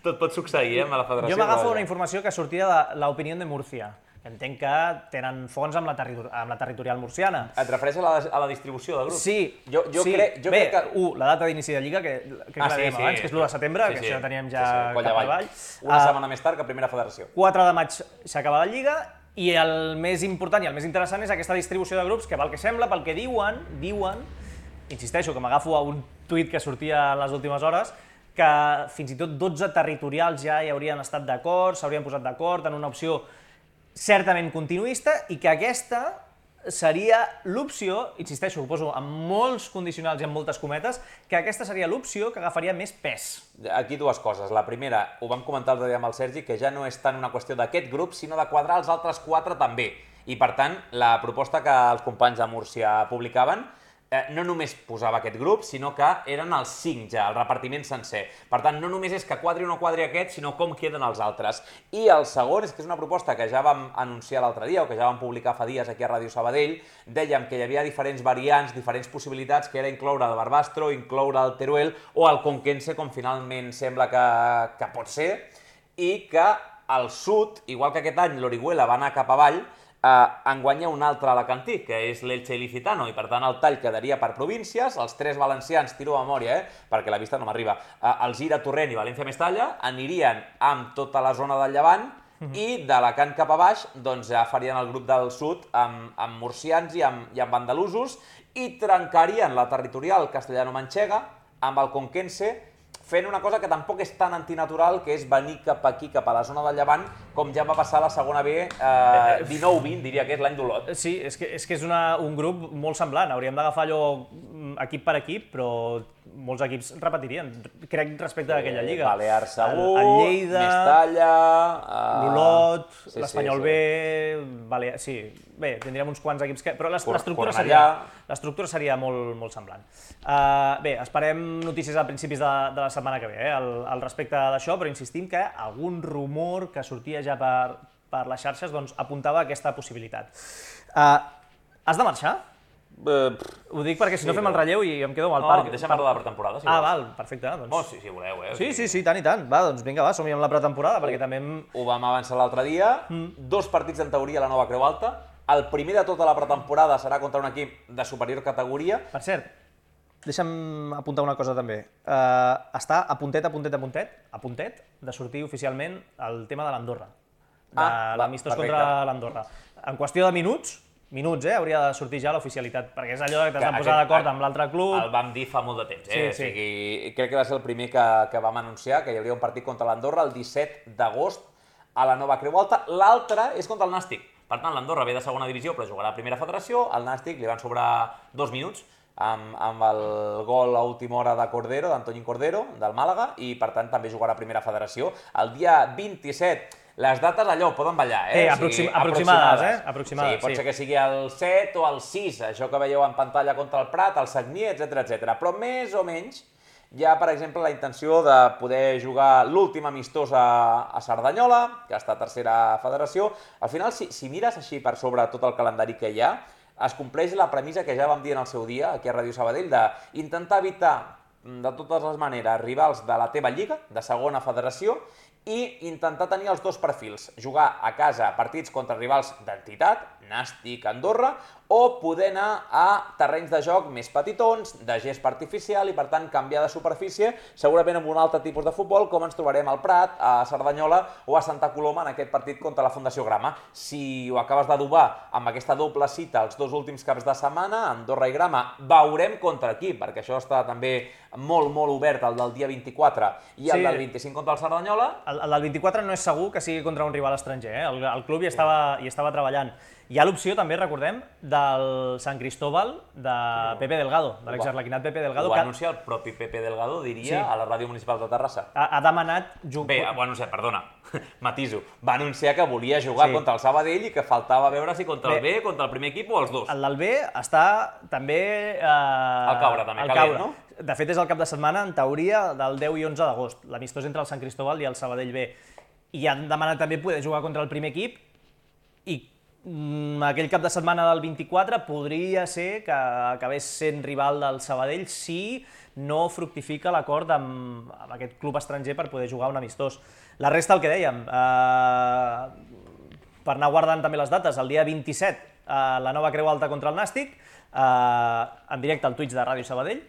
tot pot succeir eh, amb la federació. Jo m'agafo una informació que sortia de l'Opinió de Múrcia. Entenc que tenen fons amb la, terri amb la territorial murciana. Et refereixes a la, a la distribució de grups? Sí. Jo, jo sí. crec, jo Bé, crec que... u, la data d'inici de Lliga, que, que ah, la sí, dèiem sí, abans, que és l'u de setembre, sí, que sí. això teníem ja sí, sí, cap avall. Una uh, setmana més tard que primera federació. quatre de maig s'acaba la Lliga i el més important i el més interessant és aquesta distribució de grups que, pel que sembla, pel que diuen, diuen, insisteixo, que m'agafo a un tuit que sortia en les últimes hores, que fins i tot dotze territorials ja hi haurien estat d'acord, s'haurien posat d'acord en una opció certament continuista i que aquesta seria l'opció, insisteixo, ho poso amb molts condicionals i amb moltes cometes, que aquesta seria l'opció que agafaria més pes. Aquí dues coses. La primera, ho vam comentar l'altre dia amb el Sergi, que ja no és tant una qüestió d'aquest grup, sinó de quadrar els altres quatre també. I per tant, la proposta que els companys de Múrcia publicaven eh, no només posava aquest grup, sinó que eren els cinc ja, el repartiment sencer. Per tant, no només és que quadri o no quadri aquest, sinó com queden els altres. I el segon és que és una proposta que ja vam anunciar l'altre dia, o que ja vam publicar fa dies aquí a Ràdio Sabadell, dèiem que hi havia diferents variants, diferents possibilitats, que era incloure el Barbastro, incloure el Teruel o el Conquense, com finalment sembla que, que pot ser, i que al sud, igual que aquest any l'Orihuela va anar cap avall, Uh, en guanya un altre alacantí, que és l'Elche Ilicitano, i per tant el tall quedaria per províncies, els tres valencians, tiro a memòria, eh, perquè la vista no m'arriba, uh, el Gira, Torrent i València-Mestalla anirien amb tota la zona del Llevant mm-hmm. i d'Alacant cap a baix doncs ja farien el grup del sud amb, amb murcians i amb, i amb andalusos i trencarien la territorial castellano-manxega amb el Conquense, fent una cosa que tampoc és tan antinatural, que és venir cap aquí, cap a la zona del Llevant, com ja va passar a la segona B, eh, dinou vint, diria que és l'any d'Olot. Sí, és que és, que és una, un grup molt semblant. Hauríem d'agafar allò equip per equip, però molts equips repetirien, crec, respecte a aquella lliga. Balears segur, el, el Lleida, Mestalla... Uh... l'Olot, sí, l'Espanyol sí, sí. B... Balears, sí, bé, tindríem uns quants equips que... Però l'estructura seria, l'estructura seria molt, molt semblant. Uh, bé, esperem notícies a principis de, de la setmana que ve, eh, al, al respecte d'això, però insistim que algun rumor que sortia ja per, per les xarxes doncs, apuntava a aquesta possibilitat. Uh, has de marxar? Uh, Ho dic perquè si sí, no fem el relleu i em quedo amb el no, parc. Deixa'm parlar de la pretemporada, si Ah, vols. val, perfecte. Doncs... Oh, sí, si voleu, eh? Sí, sí, sí, tant i tant. Va, doncs vinga, va, som-hi amb la pretemporada, perquè també... Hem... Ho vam avançar l'altre dia, mm. dos partits en teoria a la nova Creu Alta, el primer de tota la pretemporada serà contra un equip de superior categoria. Per cert, deixa'm apuntar una cosa també. Uh, està a puntet, a puntet, a puntet, a puntet de sortir oficialment el tema de l'Andorra, de ah, l'amistós contra l'Andorra. En qüestió de minuts, minuts, eh, hauria de sortir ja l'oficialitat, perquè és allò que t'has de posar d'acord amb l'altre club. El vam dir fa molt de temps, eh? Sí, sí. O sigui, crec que va ser el primer que, que vam anunciar, que hi hauria un partit contra l'Andorra el disset d'agost a la nova Creu Alta. L'altre és contra el Nàstic. Per tant, l'Andorra ve de segona divisió, però jugarà a primera federació. Al Nàstic li van sobrar dos minuts amb, amb el gol a última hora de Cordero, d'Antoñín Cordero, del Màlaga, i per tant també jugarà a Primera Federació. El dia vint-i-set, les dates allò poden ballar, eh? Eh, aproxim, o sigui, aproximades, eh? Aproximades, sí, pot sí. ser que sigui el set o el sis, això que veieu en pantalla contra el Prat, el Sagnier, etcètera, etcètera. Però més o menys hi ha, per exemple, la intenció de poder jugar l'últim amistós a, a Cerdanyola, que està a Tercera Federació. Al final, si, si mires així per sobre tot el calendari que hi ha, es compleix la premissa que ja vam dir en el seu dia, aquí a Ràdio Sabadell, d'intentar evitar de totes les maneres rivals de la teva lliga, de segona federació, i intentar tenir els dos perfils, jugar a casa partits contra rivals d'entitat, Nàstic, Andorra, o poder anar a terrenys de joc més petitons, de gest artificial, i per tant canviar de superfície, segurament amb un altre tipus de futbol, com ens trobarem al Prat, a Cerdanyola o a Santa Coloma en aquest partit contra la Fundació Grama. Si ho acabes d'adobar amb aquesta doble cita els dos últims caps de setmana, Andorra i Grama, veurem contra qui, perquè això està també molt, molt obert, el del dia vint-i-quatre i el sí. del vint-i-cinc contra el Cerdanyola. El, el del vint-i-quatre no és segur que sigui contra un rival estranger, eh? el, el club hi estava, hi estava treballant. Hi ha l'opció, també, recordem, del Sant Cristóbal de Pepe Delgado, de l'exarlequinat Pepe Delgado. Ho va anunciar el propi Pepe Delgado, diria, sí. a la Ràdio Municipal de Terrassa. Ha, ha demanat... Bé, ho va anunciar, perdona, matiso. Va anunciar que volia jugar sí. contra el Sabadell i que faltava veure si contra Bé, el B, contra el primer equip o els dos. El del B està també... Eh, al caure, també, calent, no? De fet, és el cap de setmana, en teoria, del deu i onze d'agost, l'amistós entre el Sant Cristóbal i el Sabadell B. I han demanat també poder jugar contra el primer equip i aquell cap de setmana del vint-i-quatre podria ser que acabés sent rival del Sabadell si no fructifica l'acord amb, amb aquest club estranger per poder jugar un amistós. La resta, el que dèiem, eh, per anar guardant també les dates, el dia vint-i-set, eh, la nova Creu Alta contra el Nàstic, eh, en directe al Twitch de Ràdio Sabadell,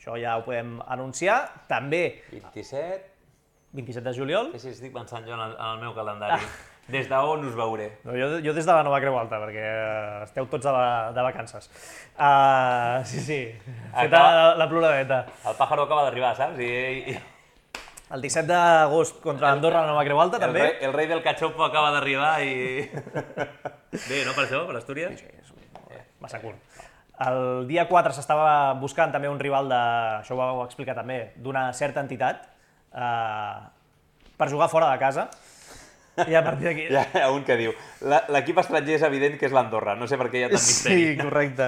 això ja ho podem anunciar, també... vint-i-set... vint-i-set de juliol. Sí, sí, estic pensant jo en el, en el meu calendari. Ah. Des d'on us veuré? No, jo, jo des de la nova Creu Alta, perquè esteu tots de, la, de vacances. Uh, sí, sí, feta la, la ploradeta. El pàjaro acaba d'arribar, saps? I, i... El disset d'agost contra Andorra, la nova Creu Alta, el també. Rei, el rei del cachopo acaba d'arribar i... Bé, no, per això, per Astúries? Sí, sí, és massa curt. El dia quatre s'estava buscant també un rival, de, això ho vau explicar també, d'una certa entitat, uh, per jugar fora de casa. I a partir d'aquí... Hi ha un que diu, l'equip estranger és evident que és l'Andorra, no sé per què hi ha tant misteri. Sí, correcte.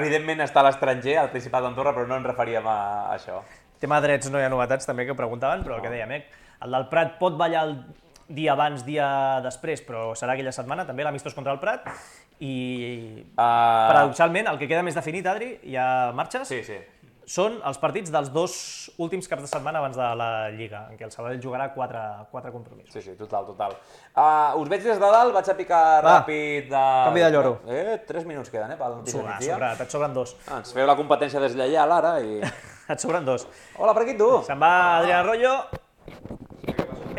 Evidentment està l'estranger, al Principat d'Andorra, però no ens referíem a això. Tema drets no hi ha novetats també que preguntaven, però el que dèiem, eh? El del Prat pot ballar el dia abans, dia després, però serà aquella setmana, també l'amistós contra el Prat, i uh... paradoxalment el que queda més definit, Adri, hi ha marxes? Sí, sí. Són els partits dels dos últims caps de setmana abans de la Lliga, en què el Sabadell jugarà quatre, quatre compromisos. Sí, sí, total, total. Uh, us veig des de dalt, vaig a picar Va, ràpid de... Canvi de lloro. Eh, tres minuts queden, eh, pel notícia Sobra, migdia. sobrat, et sobren dos. Ah, ens feu la competència deslleial ara i... Et sobren dos. Hola, per aquí tu. Se'n va Adrián Arroyo,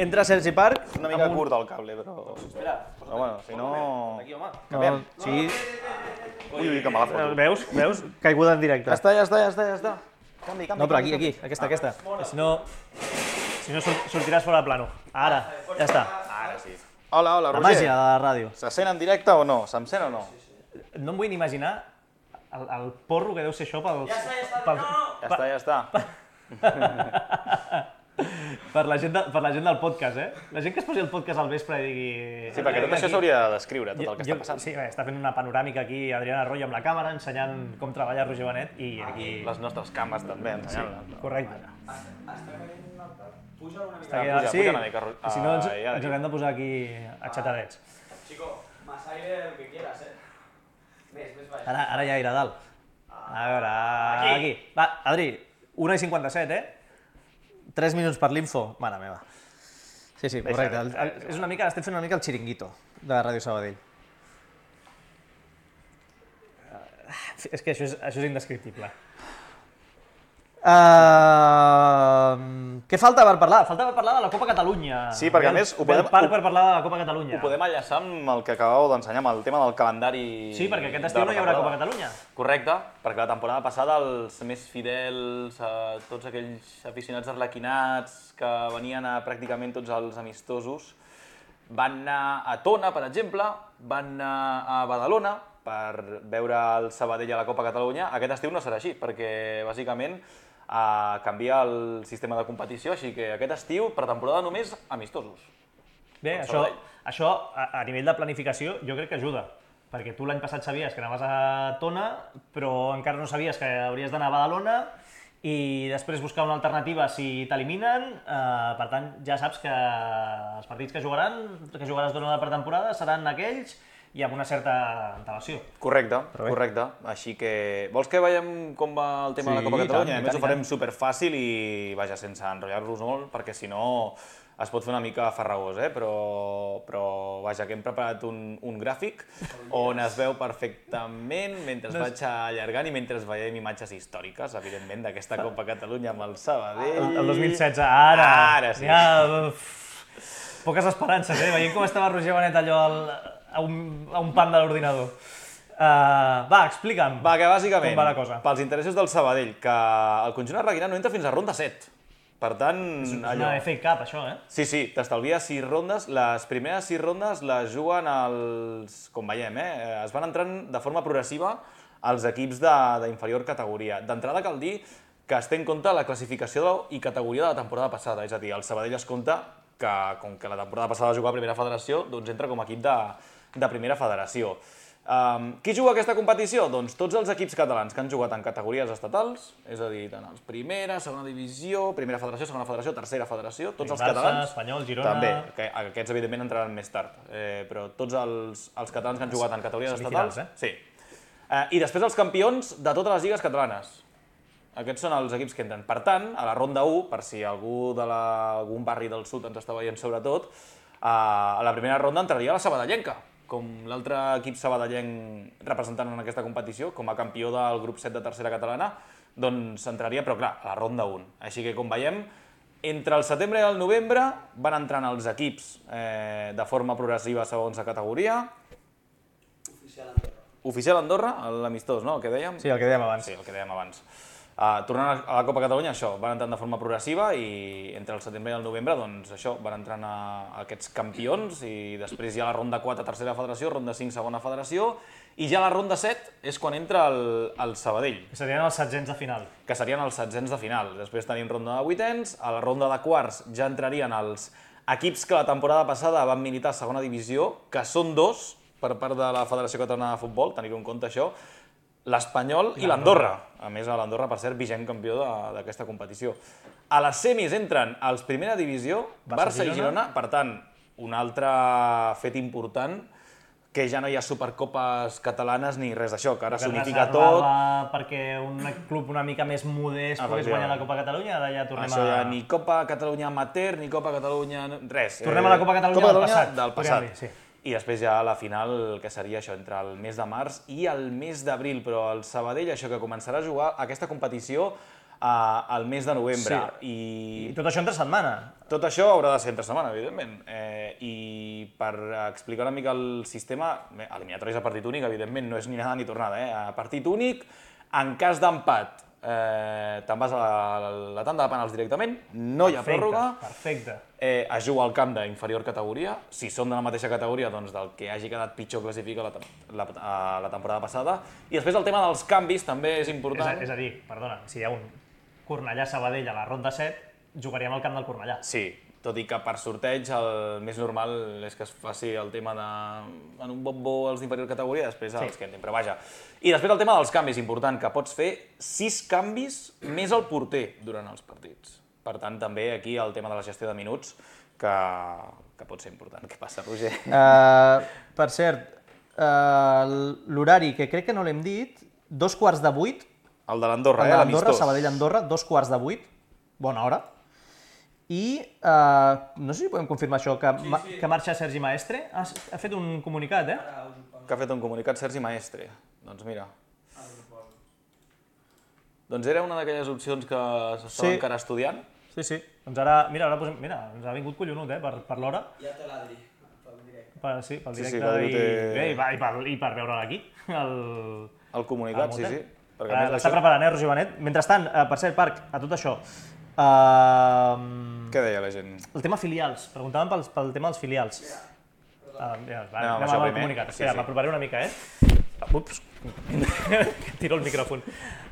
entra Sergi Parc... Una mica curt el cable, però... Espera. Però bueno, si no... Aquí, home. Canviem. Sí. Ui, ui, que me la foto. Veus? Veus? Caiguda en directe. Ja està, ja està, ja està, ja està. Canvi, canvi, no, però canvi, aquí, aquí, canvi. aquesta, aquesta. Si no, si no sortiràs fora de plano. Ara, ja està. Ara sí. Hola, hola, La Roger. màgia de la ràdio. Se sent en directe o no? Se'm sent o no? No em vull ni imaginar el, el porro que deu ser això pel... Ja està, ja està, pel, no, no! Ja està, ja està. per, la gent de, per la gent del podcast, eh? La gent que es posi el podcast al vespre i digui... Sí, perquè tot això s'hauria de descriure, tot el que jo, està passant. Sí, bé, està fent una panoràmica aquí Adrián Arroyo amb la càmera, ensenyant com treballa Roger Benet i aquí... Les nostres cames també, ensenyant-les. Sí, correcte. Puja una mica. Està aquí, puja, sí, puja una mica, i si no ens, ah, ja ens haurem de posar aquí aixatadets. Chico, más aire el que quieras, eh. Més, més baix. Ara, ara ja irà a dalt. A veure, aquí. aquí. Va, Adri, una i cinquanta-set, eh? tres minuts per l'info. Mare meva. Sí, sí, correcte. El, el, és una mica, estem fent una mica el xiringuito de Ràdio Sabadell. És que això és, això és indescriptible. Uh, què falta per parlar? Falta per parlar de la Copa Catalunya. Sí, perquè a més ho podem, parc per parlar de la Copa Catalunya. Ho podem enllaçar amb el que acabeu d'ensenyar, amb el tema del calendari. Sí, perquè aquest estiu no hi haurà Copa Catalunya. Correcte, perquè la temporada passada els més fidels, eh, tots aquells aficionats arlequinats que venien a pràcticament tots els amistosos, van anar a Tona, per exemple, van anar a Badalona, per veure el Sabadell a la Copa Catalunya. Aquest estiu no serà així, perquè bàsicament uh, canvia el sistema de competició, així que aquest estiu, per temporada només, amistosos. Bé, això, això a, a nivell de planificació jo crec que ajuda, perquè tu l'any passat sabies que anaves a Tona, però encara no sabies que hauries d'anar a Badalona i després buscar una alternativa si t'eliminen. Eh, per tant, ja saps que els partits que jugaran, que jugaràs durant la pretemporada, seran aquells i amb una certa antelació. Correcte, correcte. Així que... Vols que veiem com va el tema de la Copa Catalunya? A més, ho farem superfàcil i, vaja, sense enrotllar-los molt, perquè si no es pot fer una mica farragós, eh? Però, però vaja, que hem preparat un, un gràfic on es veu perfectament mentre es vaig allargant i mentre veiem imatges històriques, evidentment, d'aquesta Copa Catalunya amb el Sabadell. El, el dos mil setze, ara! Ara sí. Ja, uf, poques esperances, eh? Veient com estava Roger Benet allò al, a, un, a un pan de l'ordinador. Uh, va, explica'm va, que bàsicament, com va la cosa. Pels interessos del Sabadell, que el conjunt arlequinà no entra fins a ronda set. Per tant, és una allò... F A Cup, això, eh? Sí, sí, t'estalvia sis rondes. Les primeres sis rondes les juguen els... com veiem, eh? Es van entrant de forma progressiva els equips d'inferior categoria. D'entrada cal dir que es té en compte la classificació i categoria de la temporada passada. És a dir, el Sabadell es compta que, com que la temporada passada va jugar a primera federació, doncs entra com a equip de, de primera federació. Um, qui juga aquesta competició? Doncs tots els equips catalans que han jugat en categories estatals, és a dir, tant els primera, segona divisió, primera federació, segona federació, tercera federació, tots els catalans... Espanyol, Girona... També, que aquests evidentment entraran més tard, eh, però tots els, els catalans que han jugat en categories estatals... Eh? Sí. Eh, I després els campions de totes les lligues catalanes. Aquests són els equips que entren. Per tant, a la ronda u, per si algú d'algun barri del sud ens està veient sobretot, eh, a la primera ronda entraria la sabadellenca, com l'altre equip sabadellenc representant en aquesta competició, com a campió del grup set de tercera catalana, doncs entraria, però clar, a la ronda u. Així que, com veiem, entre el setembre i el novembre van entrant els equips eh, de forma progressiva segons la categoria. Oficial Andorra. Oficial Andorra, l'amistós, no?, el que dèiem? Sí, el que dèiem abans. Sí, el que dèiem abans. Uh, tornant a la Copa Catalunya, això, van entrant de forma progressiva i entre el setembre i el novembre, doncs això, van entrant a, a aquests campions i després hi ha la ronda quatre, tercera federació, ronda cinc, segona federació, i ja la ronda set és quan entra el, el Sabadell. Que serien els setzents de final. Que serien els setzents de final. Després tenim ronda de vuitens, a la ronda de quarts ja entrarien els equips que la temporada passada van militar a segona divisió, que són dos per part de la Federació Catalana de Futbol, tenir-ho en compte això, l'Espanyol i l'Andorra. A més, l'Andorra, per cert, vigent campió d'aquesta competició. A les semis entren els primera divisió, Barça i Girona, per tant, un altre fet important, que ja no hi ha supercopes catalanes ni res d'això, que ara s'unifica tot. Perquè un club una mica més modest pogués guanyar la Copa Catalunya, ara ja tornem a... Això ja ni Copa Catalunya Amateur, ni Copa Catalunya... res. Tornem a la Copa Catalunya del passat. Del passat. I després ja la final, que seria això, entre el mes de març i el mes d'abril, però el Sabadell, això, que començarà a jugar aquesta competició al mes de novembre. I... I tot això entre setmana. Tot això haurà de ser entre setmana, evidentment. Eh, I per explicar una mica el sistema, eliminatoris a partit únic, evidentment, no és ni anada ni tornada. Eh? A partit únic, en cas d'empat, eh, te'n vas a la, la tanda de penals directament, no hi ha pròrroga. Perfecte. Eh, es juga al camp d'inferior categoria. Si són de la mateixa categoria, doncs del que hagi quedat pitjor classifica la, la, la temporada passada. I després el tema dels canvis també és important. És a, és a dir, perdona, si hi ha un Cornellà-Sabadell a la ronda set, jugaríem al camp del Cornellà. Sí, tot i que per sorteig el més normal és que es faci el tema de en un bombo els d'inferior categoria, després els sí. que entrin, però vaja. I després el tema dels canvis, important, que pots fer sis canvis més el porter durant els partits. Per tant, també aquí el tema de la gestió de minuts, que, que pot ser important. Què passa, Roger? Uh, per cert, uh, l'horari, que crec que no l'hem dit, dos quarts de vuit. El de l'Andorra, eh? L'Andorra, Sabadell-Andorra, dos quarts de vuit. Bona hora. I uh, no sé si podem confirmar això, que, sí, sí. que marxa Sergi Maestre. Ha, ha fet un comunicat, eh? Que ha fet un comunicat Sergi Maestre. Doncs mira. Doncs era una d'aquelles opcions que s'estava sí. encara estudiant. Sí, sí. Doncs ara, mira, ara posem, mira, ens ha vingut collonut, eh, per, per l'hora. Ja té l'Adri, pel directe. Per, sí, pel directe sí, sí, i, té... bé, i, per, i, per, i per veure'l aquí. El, el comunicat, el sí, sí. Uh, L'està això... preparant, eh, Roger Benet. Mentrestant, uh, per cert, Parc, a tot això... Uh, Què deia la gent? El tema filials. Preguntàvem pel, pel tema dels filials. Uh, ja, va, anem anem amb el comunicat. sí, Espera, sí. m'aproparé una mica, eh? Ups, tiro el micròfon.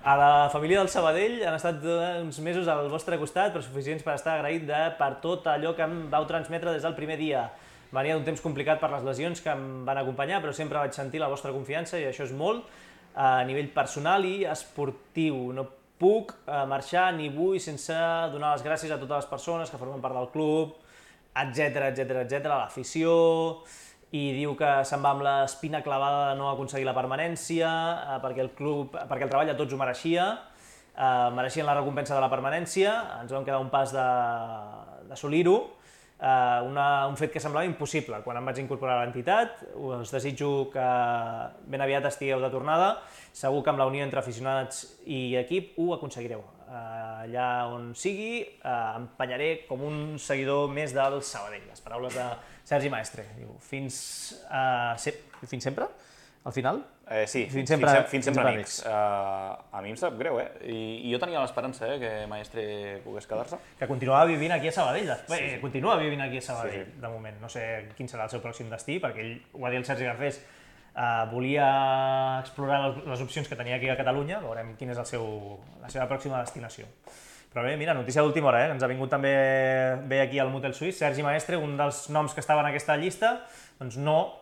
A la família del Sabadell han estat uns mesos al vostre costat, però suficients per estar agraït de, per tot allò que em vau transmetre des del primer dia. Venia d'un temps complicat per les lesions que em van acompanyar, però sempre vaig sentir la vostra confiança i això és molt. A nivell personal i esportiu, no puc marxar ni vull sense donar les gràcies a totes les persones que formen part del club, etcètera, etcètera, etcètera, l'afició, i diu que se'n va amb l'espina clavada de no aconseguir la permanència, perquè el club, perquè el treball de tots ho mereixia, mereixien la recompensa de la permanència, ens vam quedar un pas d'assolir-ho, un fet que semblava impossible quan em vaig incorporar a l'entitat. Us desitjo que ben aviat estigueu de tornada, segur que amb la unió entre aficionats i equip ho aconseguireu. Allà on sigui, empenyaré com un seguidor més del Sabadell. Les paraules de Sergi Maestre. Fins sempre? Al final? Sí, fins sempre amics. A mi em sap greu, eh? I jo tenia l'esperança que Maestre pogués quedar-se. Que continuava vivint aquí a Sabadell. Bé, continua vivint aquí a Sabadell, de moment. No sé quin serà el seu pròxim destí, perquè ell, ho va dir el Sergi Garcés, volia explorar les opcions que tenia aquí a Catalunya, veurem quina és la seva pròxima destinació. Però bé, mira, notícia d'última hora, ens ha vingut també bé aquí al Motel Suís, Sergi Maestre, un dels noms que estava en aquesta llista, doncs no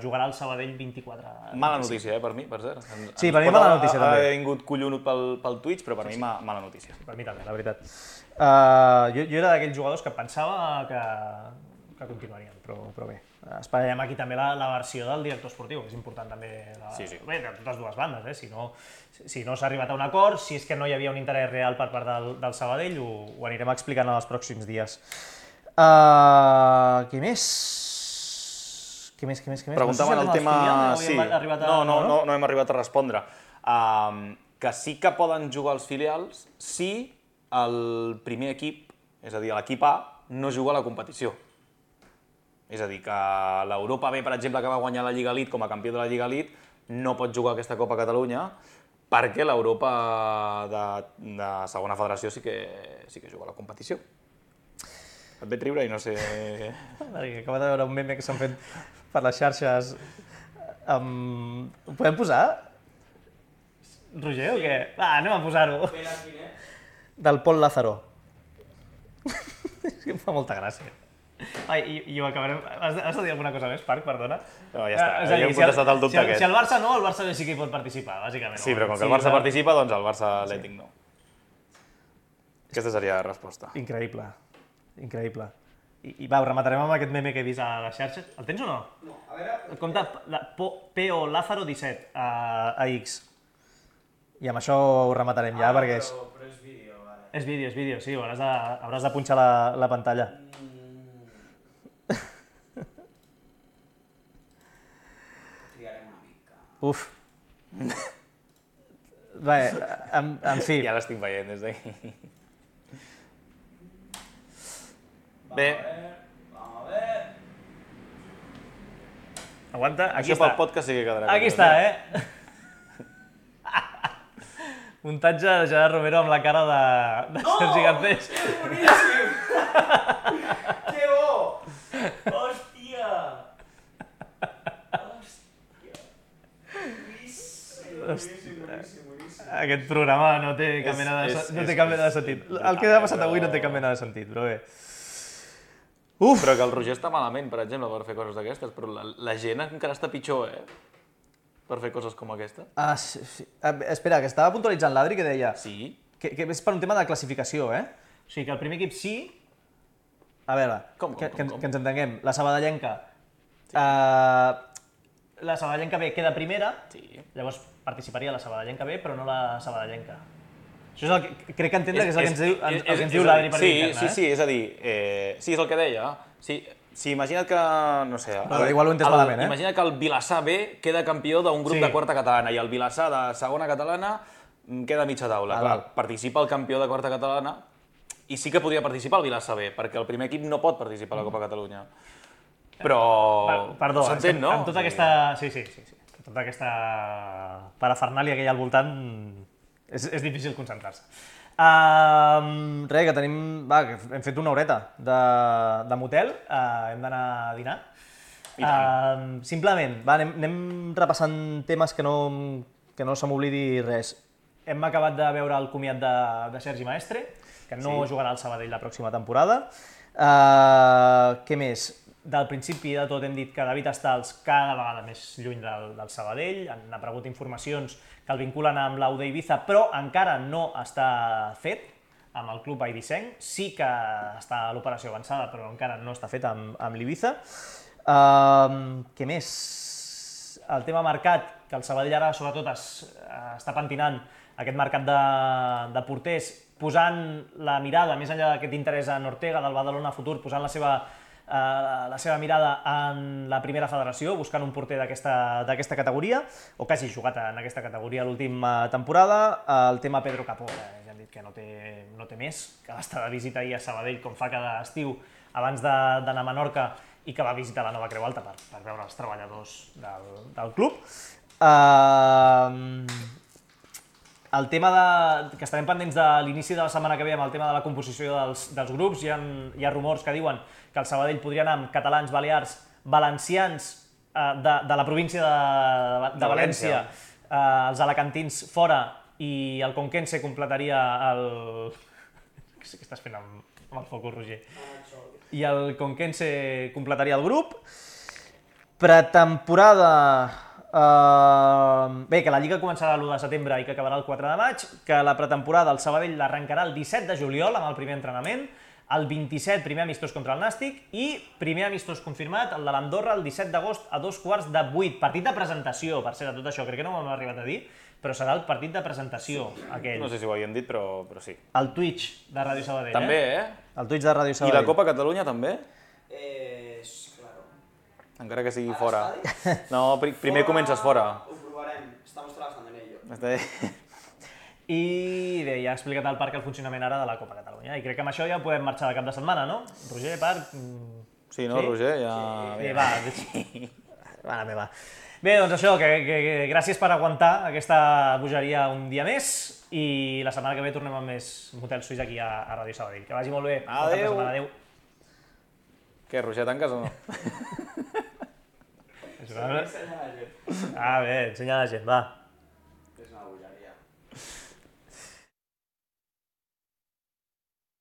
jugarà al Sabadell vint-i-quatre. Mala notícia, per mi, per cert. Sí, per mi mala notícia també. Ha vingut collonut pel Twitch, però per mi mala notícia. Per mi també, la veritat. Jo era d'aquells jugadors que pensava que continuarien, però bé. Esperem aquí també la versió del director esportiu, que és important també de totes dues bandes. Si no s'ha arribat a un acord, si és que no hi havia un interès real per part del Sabadell, ho anirem explicant en els pròxims dies. Què més? Què més, què més, què més? Preguntaven el tema... No, no hem arribat a respondre. Que sí que poden jugar els filials si el primer equip, és a dir, l'equip A, no juga a la competició. És a dir, que l'Europa B, per exemple, que va guanyar la Lliga Elite com a campió de la Lliga Elite, no pot jugar aquesta Copa Catalunya perquè l'Europa de segona federació sí que juga a la competició. Et veig riure i no sé... Acabo de veure un meme que s'han fet per les xarxes. Ho podem posar? Roger, o què? Va, anem a posar-ho. Del Pol Lázaro. És que em fa molta gràcia. Ai, i ho acabarem... Has de dir alguna cosa més, Parc, perdona? No, ja està, ja hem contestat el dubte aquest. Si el Barça no, el Barça B sí que hi pot participar, bàsicament. Sí, però com que el Barça participa, doncs el Barça Atlètic no. Aquesta seria la resposta. Increïble, increïble. I va, ho rematarem amb aquest meme que he vist a les xarxes. El tens o no? No, a veure... Compte P O Lázaro disset a X. I amb això ho rematarem ja, perquè és... Però és vídeo, vale. És vídeo, és vídeo, sí, hauràs de punxar la pantalla. Uf. Bé, en fi. Ja l'estic veient des d'aquí. Bé. Vamos a ver. Aguanta, aquí està. Això pel podcast sí que quedarà. Aquí està, eh? Muntatge de Gerard Romero amb la cara de Sergi Garcés. Que boníssim! Que bo! Hòstia! Aquest programa no té cap mena de sentit. El que ha passat avui no té cap mena de sentit, però bé. Uf! Però que el Roger està malament, per exemple, per fer coses d'aquestes, però la gent encara està pitjor, eh? Per fer coses com aquesta. Ah, sí. Espera, que estava puntualitzant l'Adri que deia... Sí? Que és per un tema de classificació, eh? O sigui, que el primer equip sí... A veure, que ens entenguem. La sabadellenca... La sabadellenca B queda primera, llavors participaria la sabadellenca B, però no la sabadellenca. Això és el que crec que entendre que és el que ens diu l'Adri per interna, eh? Sí, sí, és a dir, sí, és el que deia. Si imagina't que, no sé... Igual ho he entès malament, eh? Imagina't que el Vilassar B queda campió d'un grup de quarta catalana i el Vilassar de segona catalana queda a mitja taula. Clar, participa el campió de quarta catalana i sí que podria participar el Vilassar B, perquè el primer equip no pot participar a la Copa Catalunya. Però... Perdó, s'entén, no? Amb tota aquesta... Sí, sí, sí. Tota aquesta parafernàlia que hi ha al voltant és difícil concentrar-se. Res, que tenim... Va, hem fet una horeta de motel, hem d'anar a dinar. Uh, simplement, va, anem, anem repassant temes que no, que no se m'oblidi res. Hem acabat de veure el comiat de, de Sergi Maestre, que no sí. jugarà al Sabadell la pròxima temporada. Uh, què més? Del principi de tot hem dit que David Stals cada vegada més lluny del, del Sabadell, han aparegut informacions que el vinculen amb l'U D Ibiza, però encara no està fet amb el club eivissenc. Sí que està l'operació avançada, però encara no està fet amb, amb l'Ibiza. Uh, què més? El tema mercat, que el Sabadell ara sobretot es, està pentinant aquest mercat de, de porters, posant la mirada, més enllà d'aquest interès en Ortega, del Badalona Futur, posant la seva, uh, la seva mirada en la primera federació, buscant un porter d'aquesta categoria, o que hagi jugat en aquesta categoria l'última temporada. El tema Pedro Capó, eh, ja hem dit que no té, no té més, que va estar de visita ahir a Sabadell, com fa cada estiu, abans d'anar a Menorca, i que va visitar la nova Creu Alta per, per veure els treballadors del, del club. Uh, el tema de, que estarem pendents de l'inici de la setmana que ve amb el tema de la composició dels, dels grups, hi ha, hi ha rumors que diuen que el Sabadell podria anar amb catalans, balears, valencians uh, de, de la província de, de, de València, uh, els alacantins fora, i el conquense completaria el... Què estàs fent amb, amb el focus, Roger? I el conquense completaria el grup. Pretemporada... Uh, bé, que la Lliga començarà l'u de setembre i que acabarà el quatre de maig, que la pretemporada el Sabadell l'arrencarà el disset de juliol amb el primer entrenament, el vint-i-set primer amistós contra el Nàstic i primer amistós confirmat, el de l'Andorra, el disset d'agost a dos quarts de vuit. Partit de presentació, per ser de tot això, crec que no m'ho hem arribat a dir, però serà el partit de presentació, aquell. No sé si ho havíem dit, però, però sí. El Twitch de Ràdio Sabadell, també, eh? eh? El Twitch de Ràdio Sabadell. I la Copa Catalunya també? Eh, claro. Encara que sigui fora. No, pri primer fora... comences fora. Ho provarem, estamos trabajando en ello. Està... I bé, ja ha explicat el parc el funcionament ara de la Copa Catalunya, i crec que amb això ja podem marxar de cap de setmana, no? Roger, parc... Sí, no, sí? Roger, ja... Sí, va, sí. Mare meva. Bé, doncs això, que, que, que gràcies per aguantar aquesta bogeria un dia més, i la setmana que ve tornem amb més Motel Suís aquí a, a Ràdio Sabadell. Que vagi molt bé. Adéu. Adéu. Què, Roger, tanques o no? Ah, bé, ensenya a la gent, va.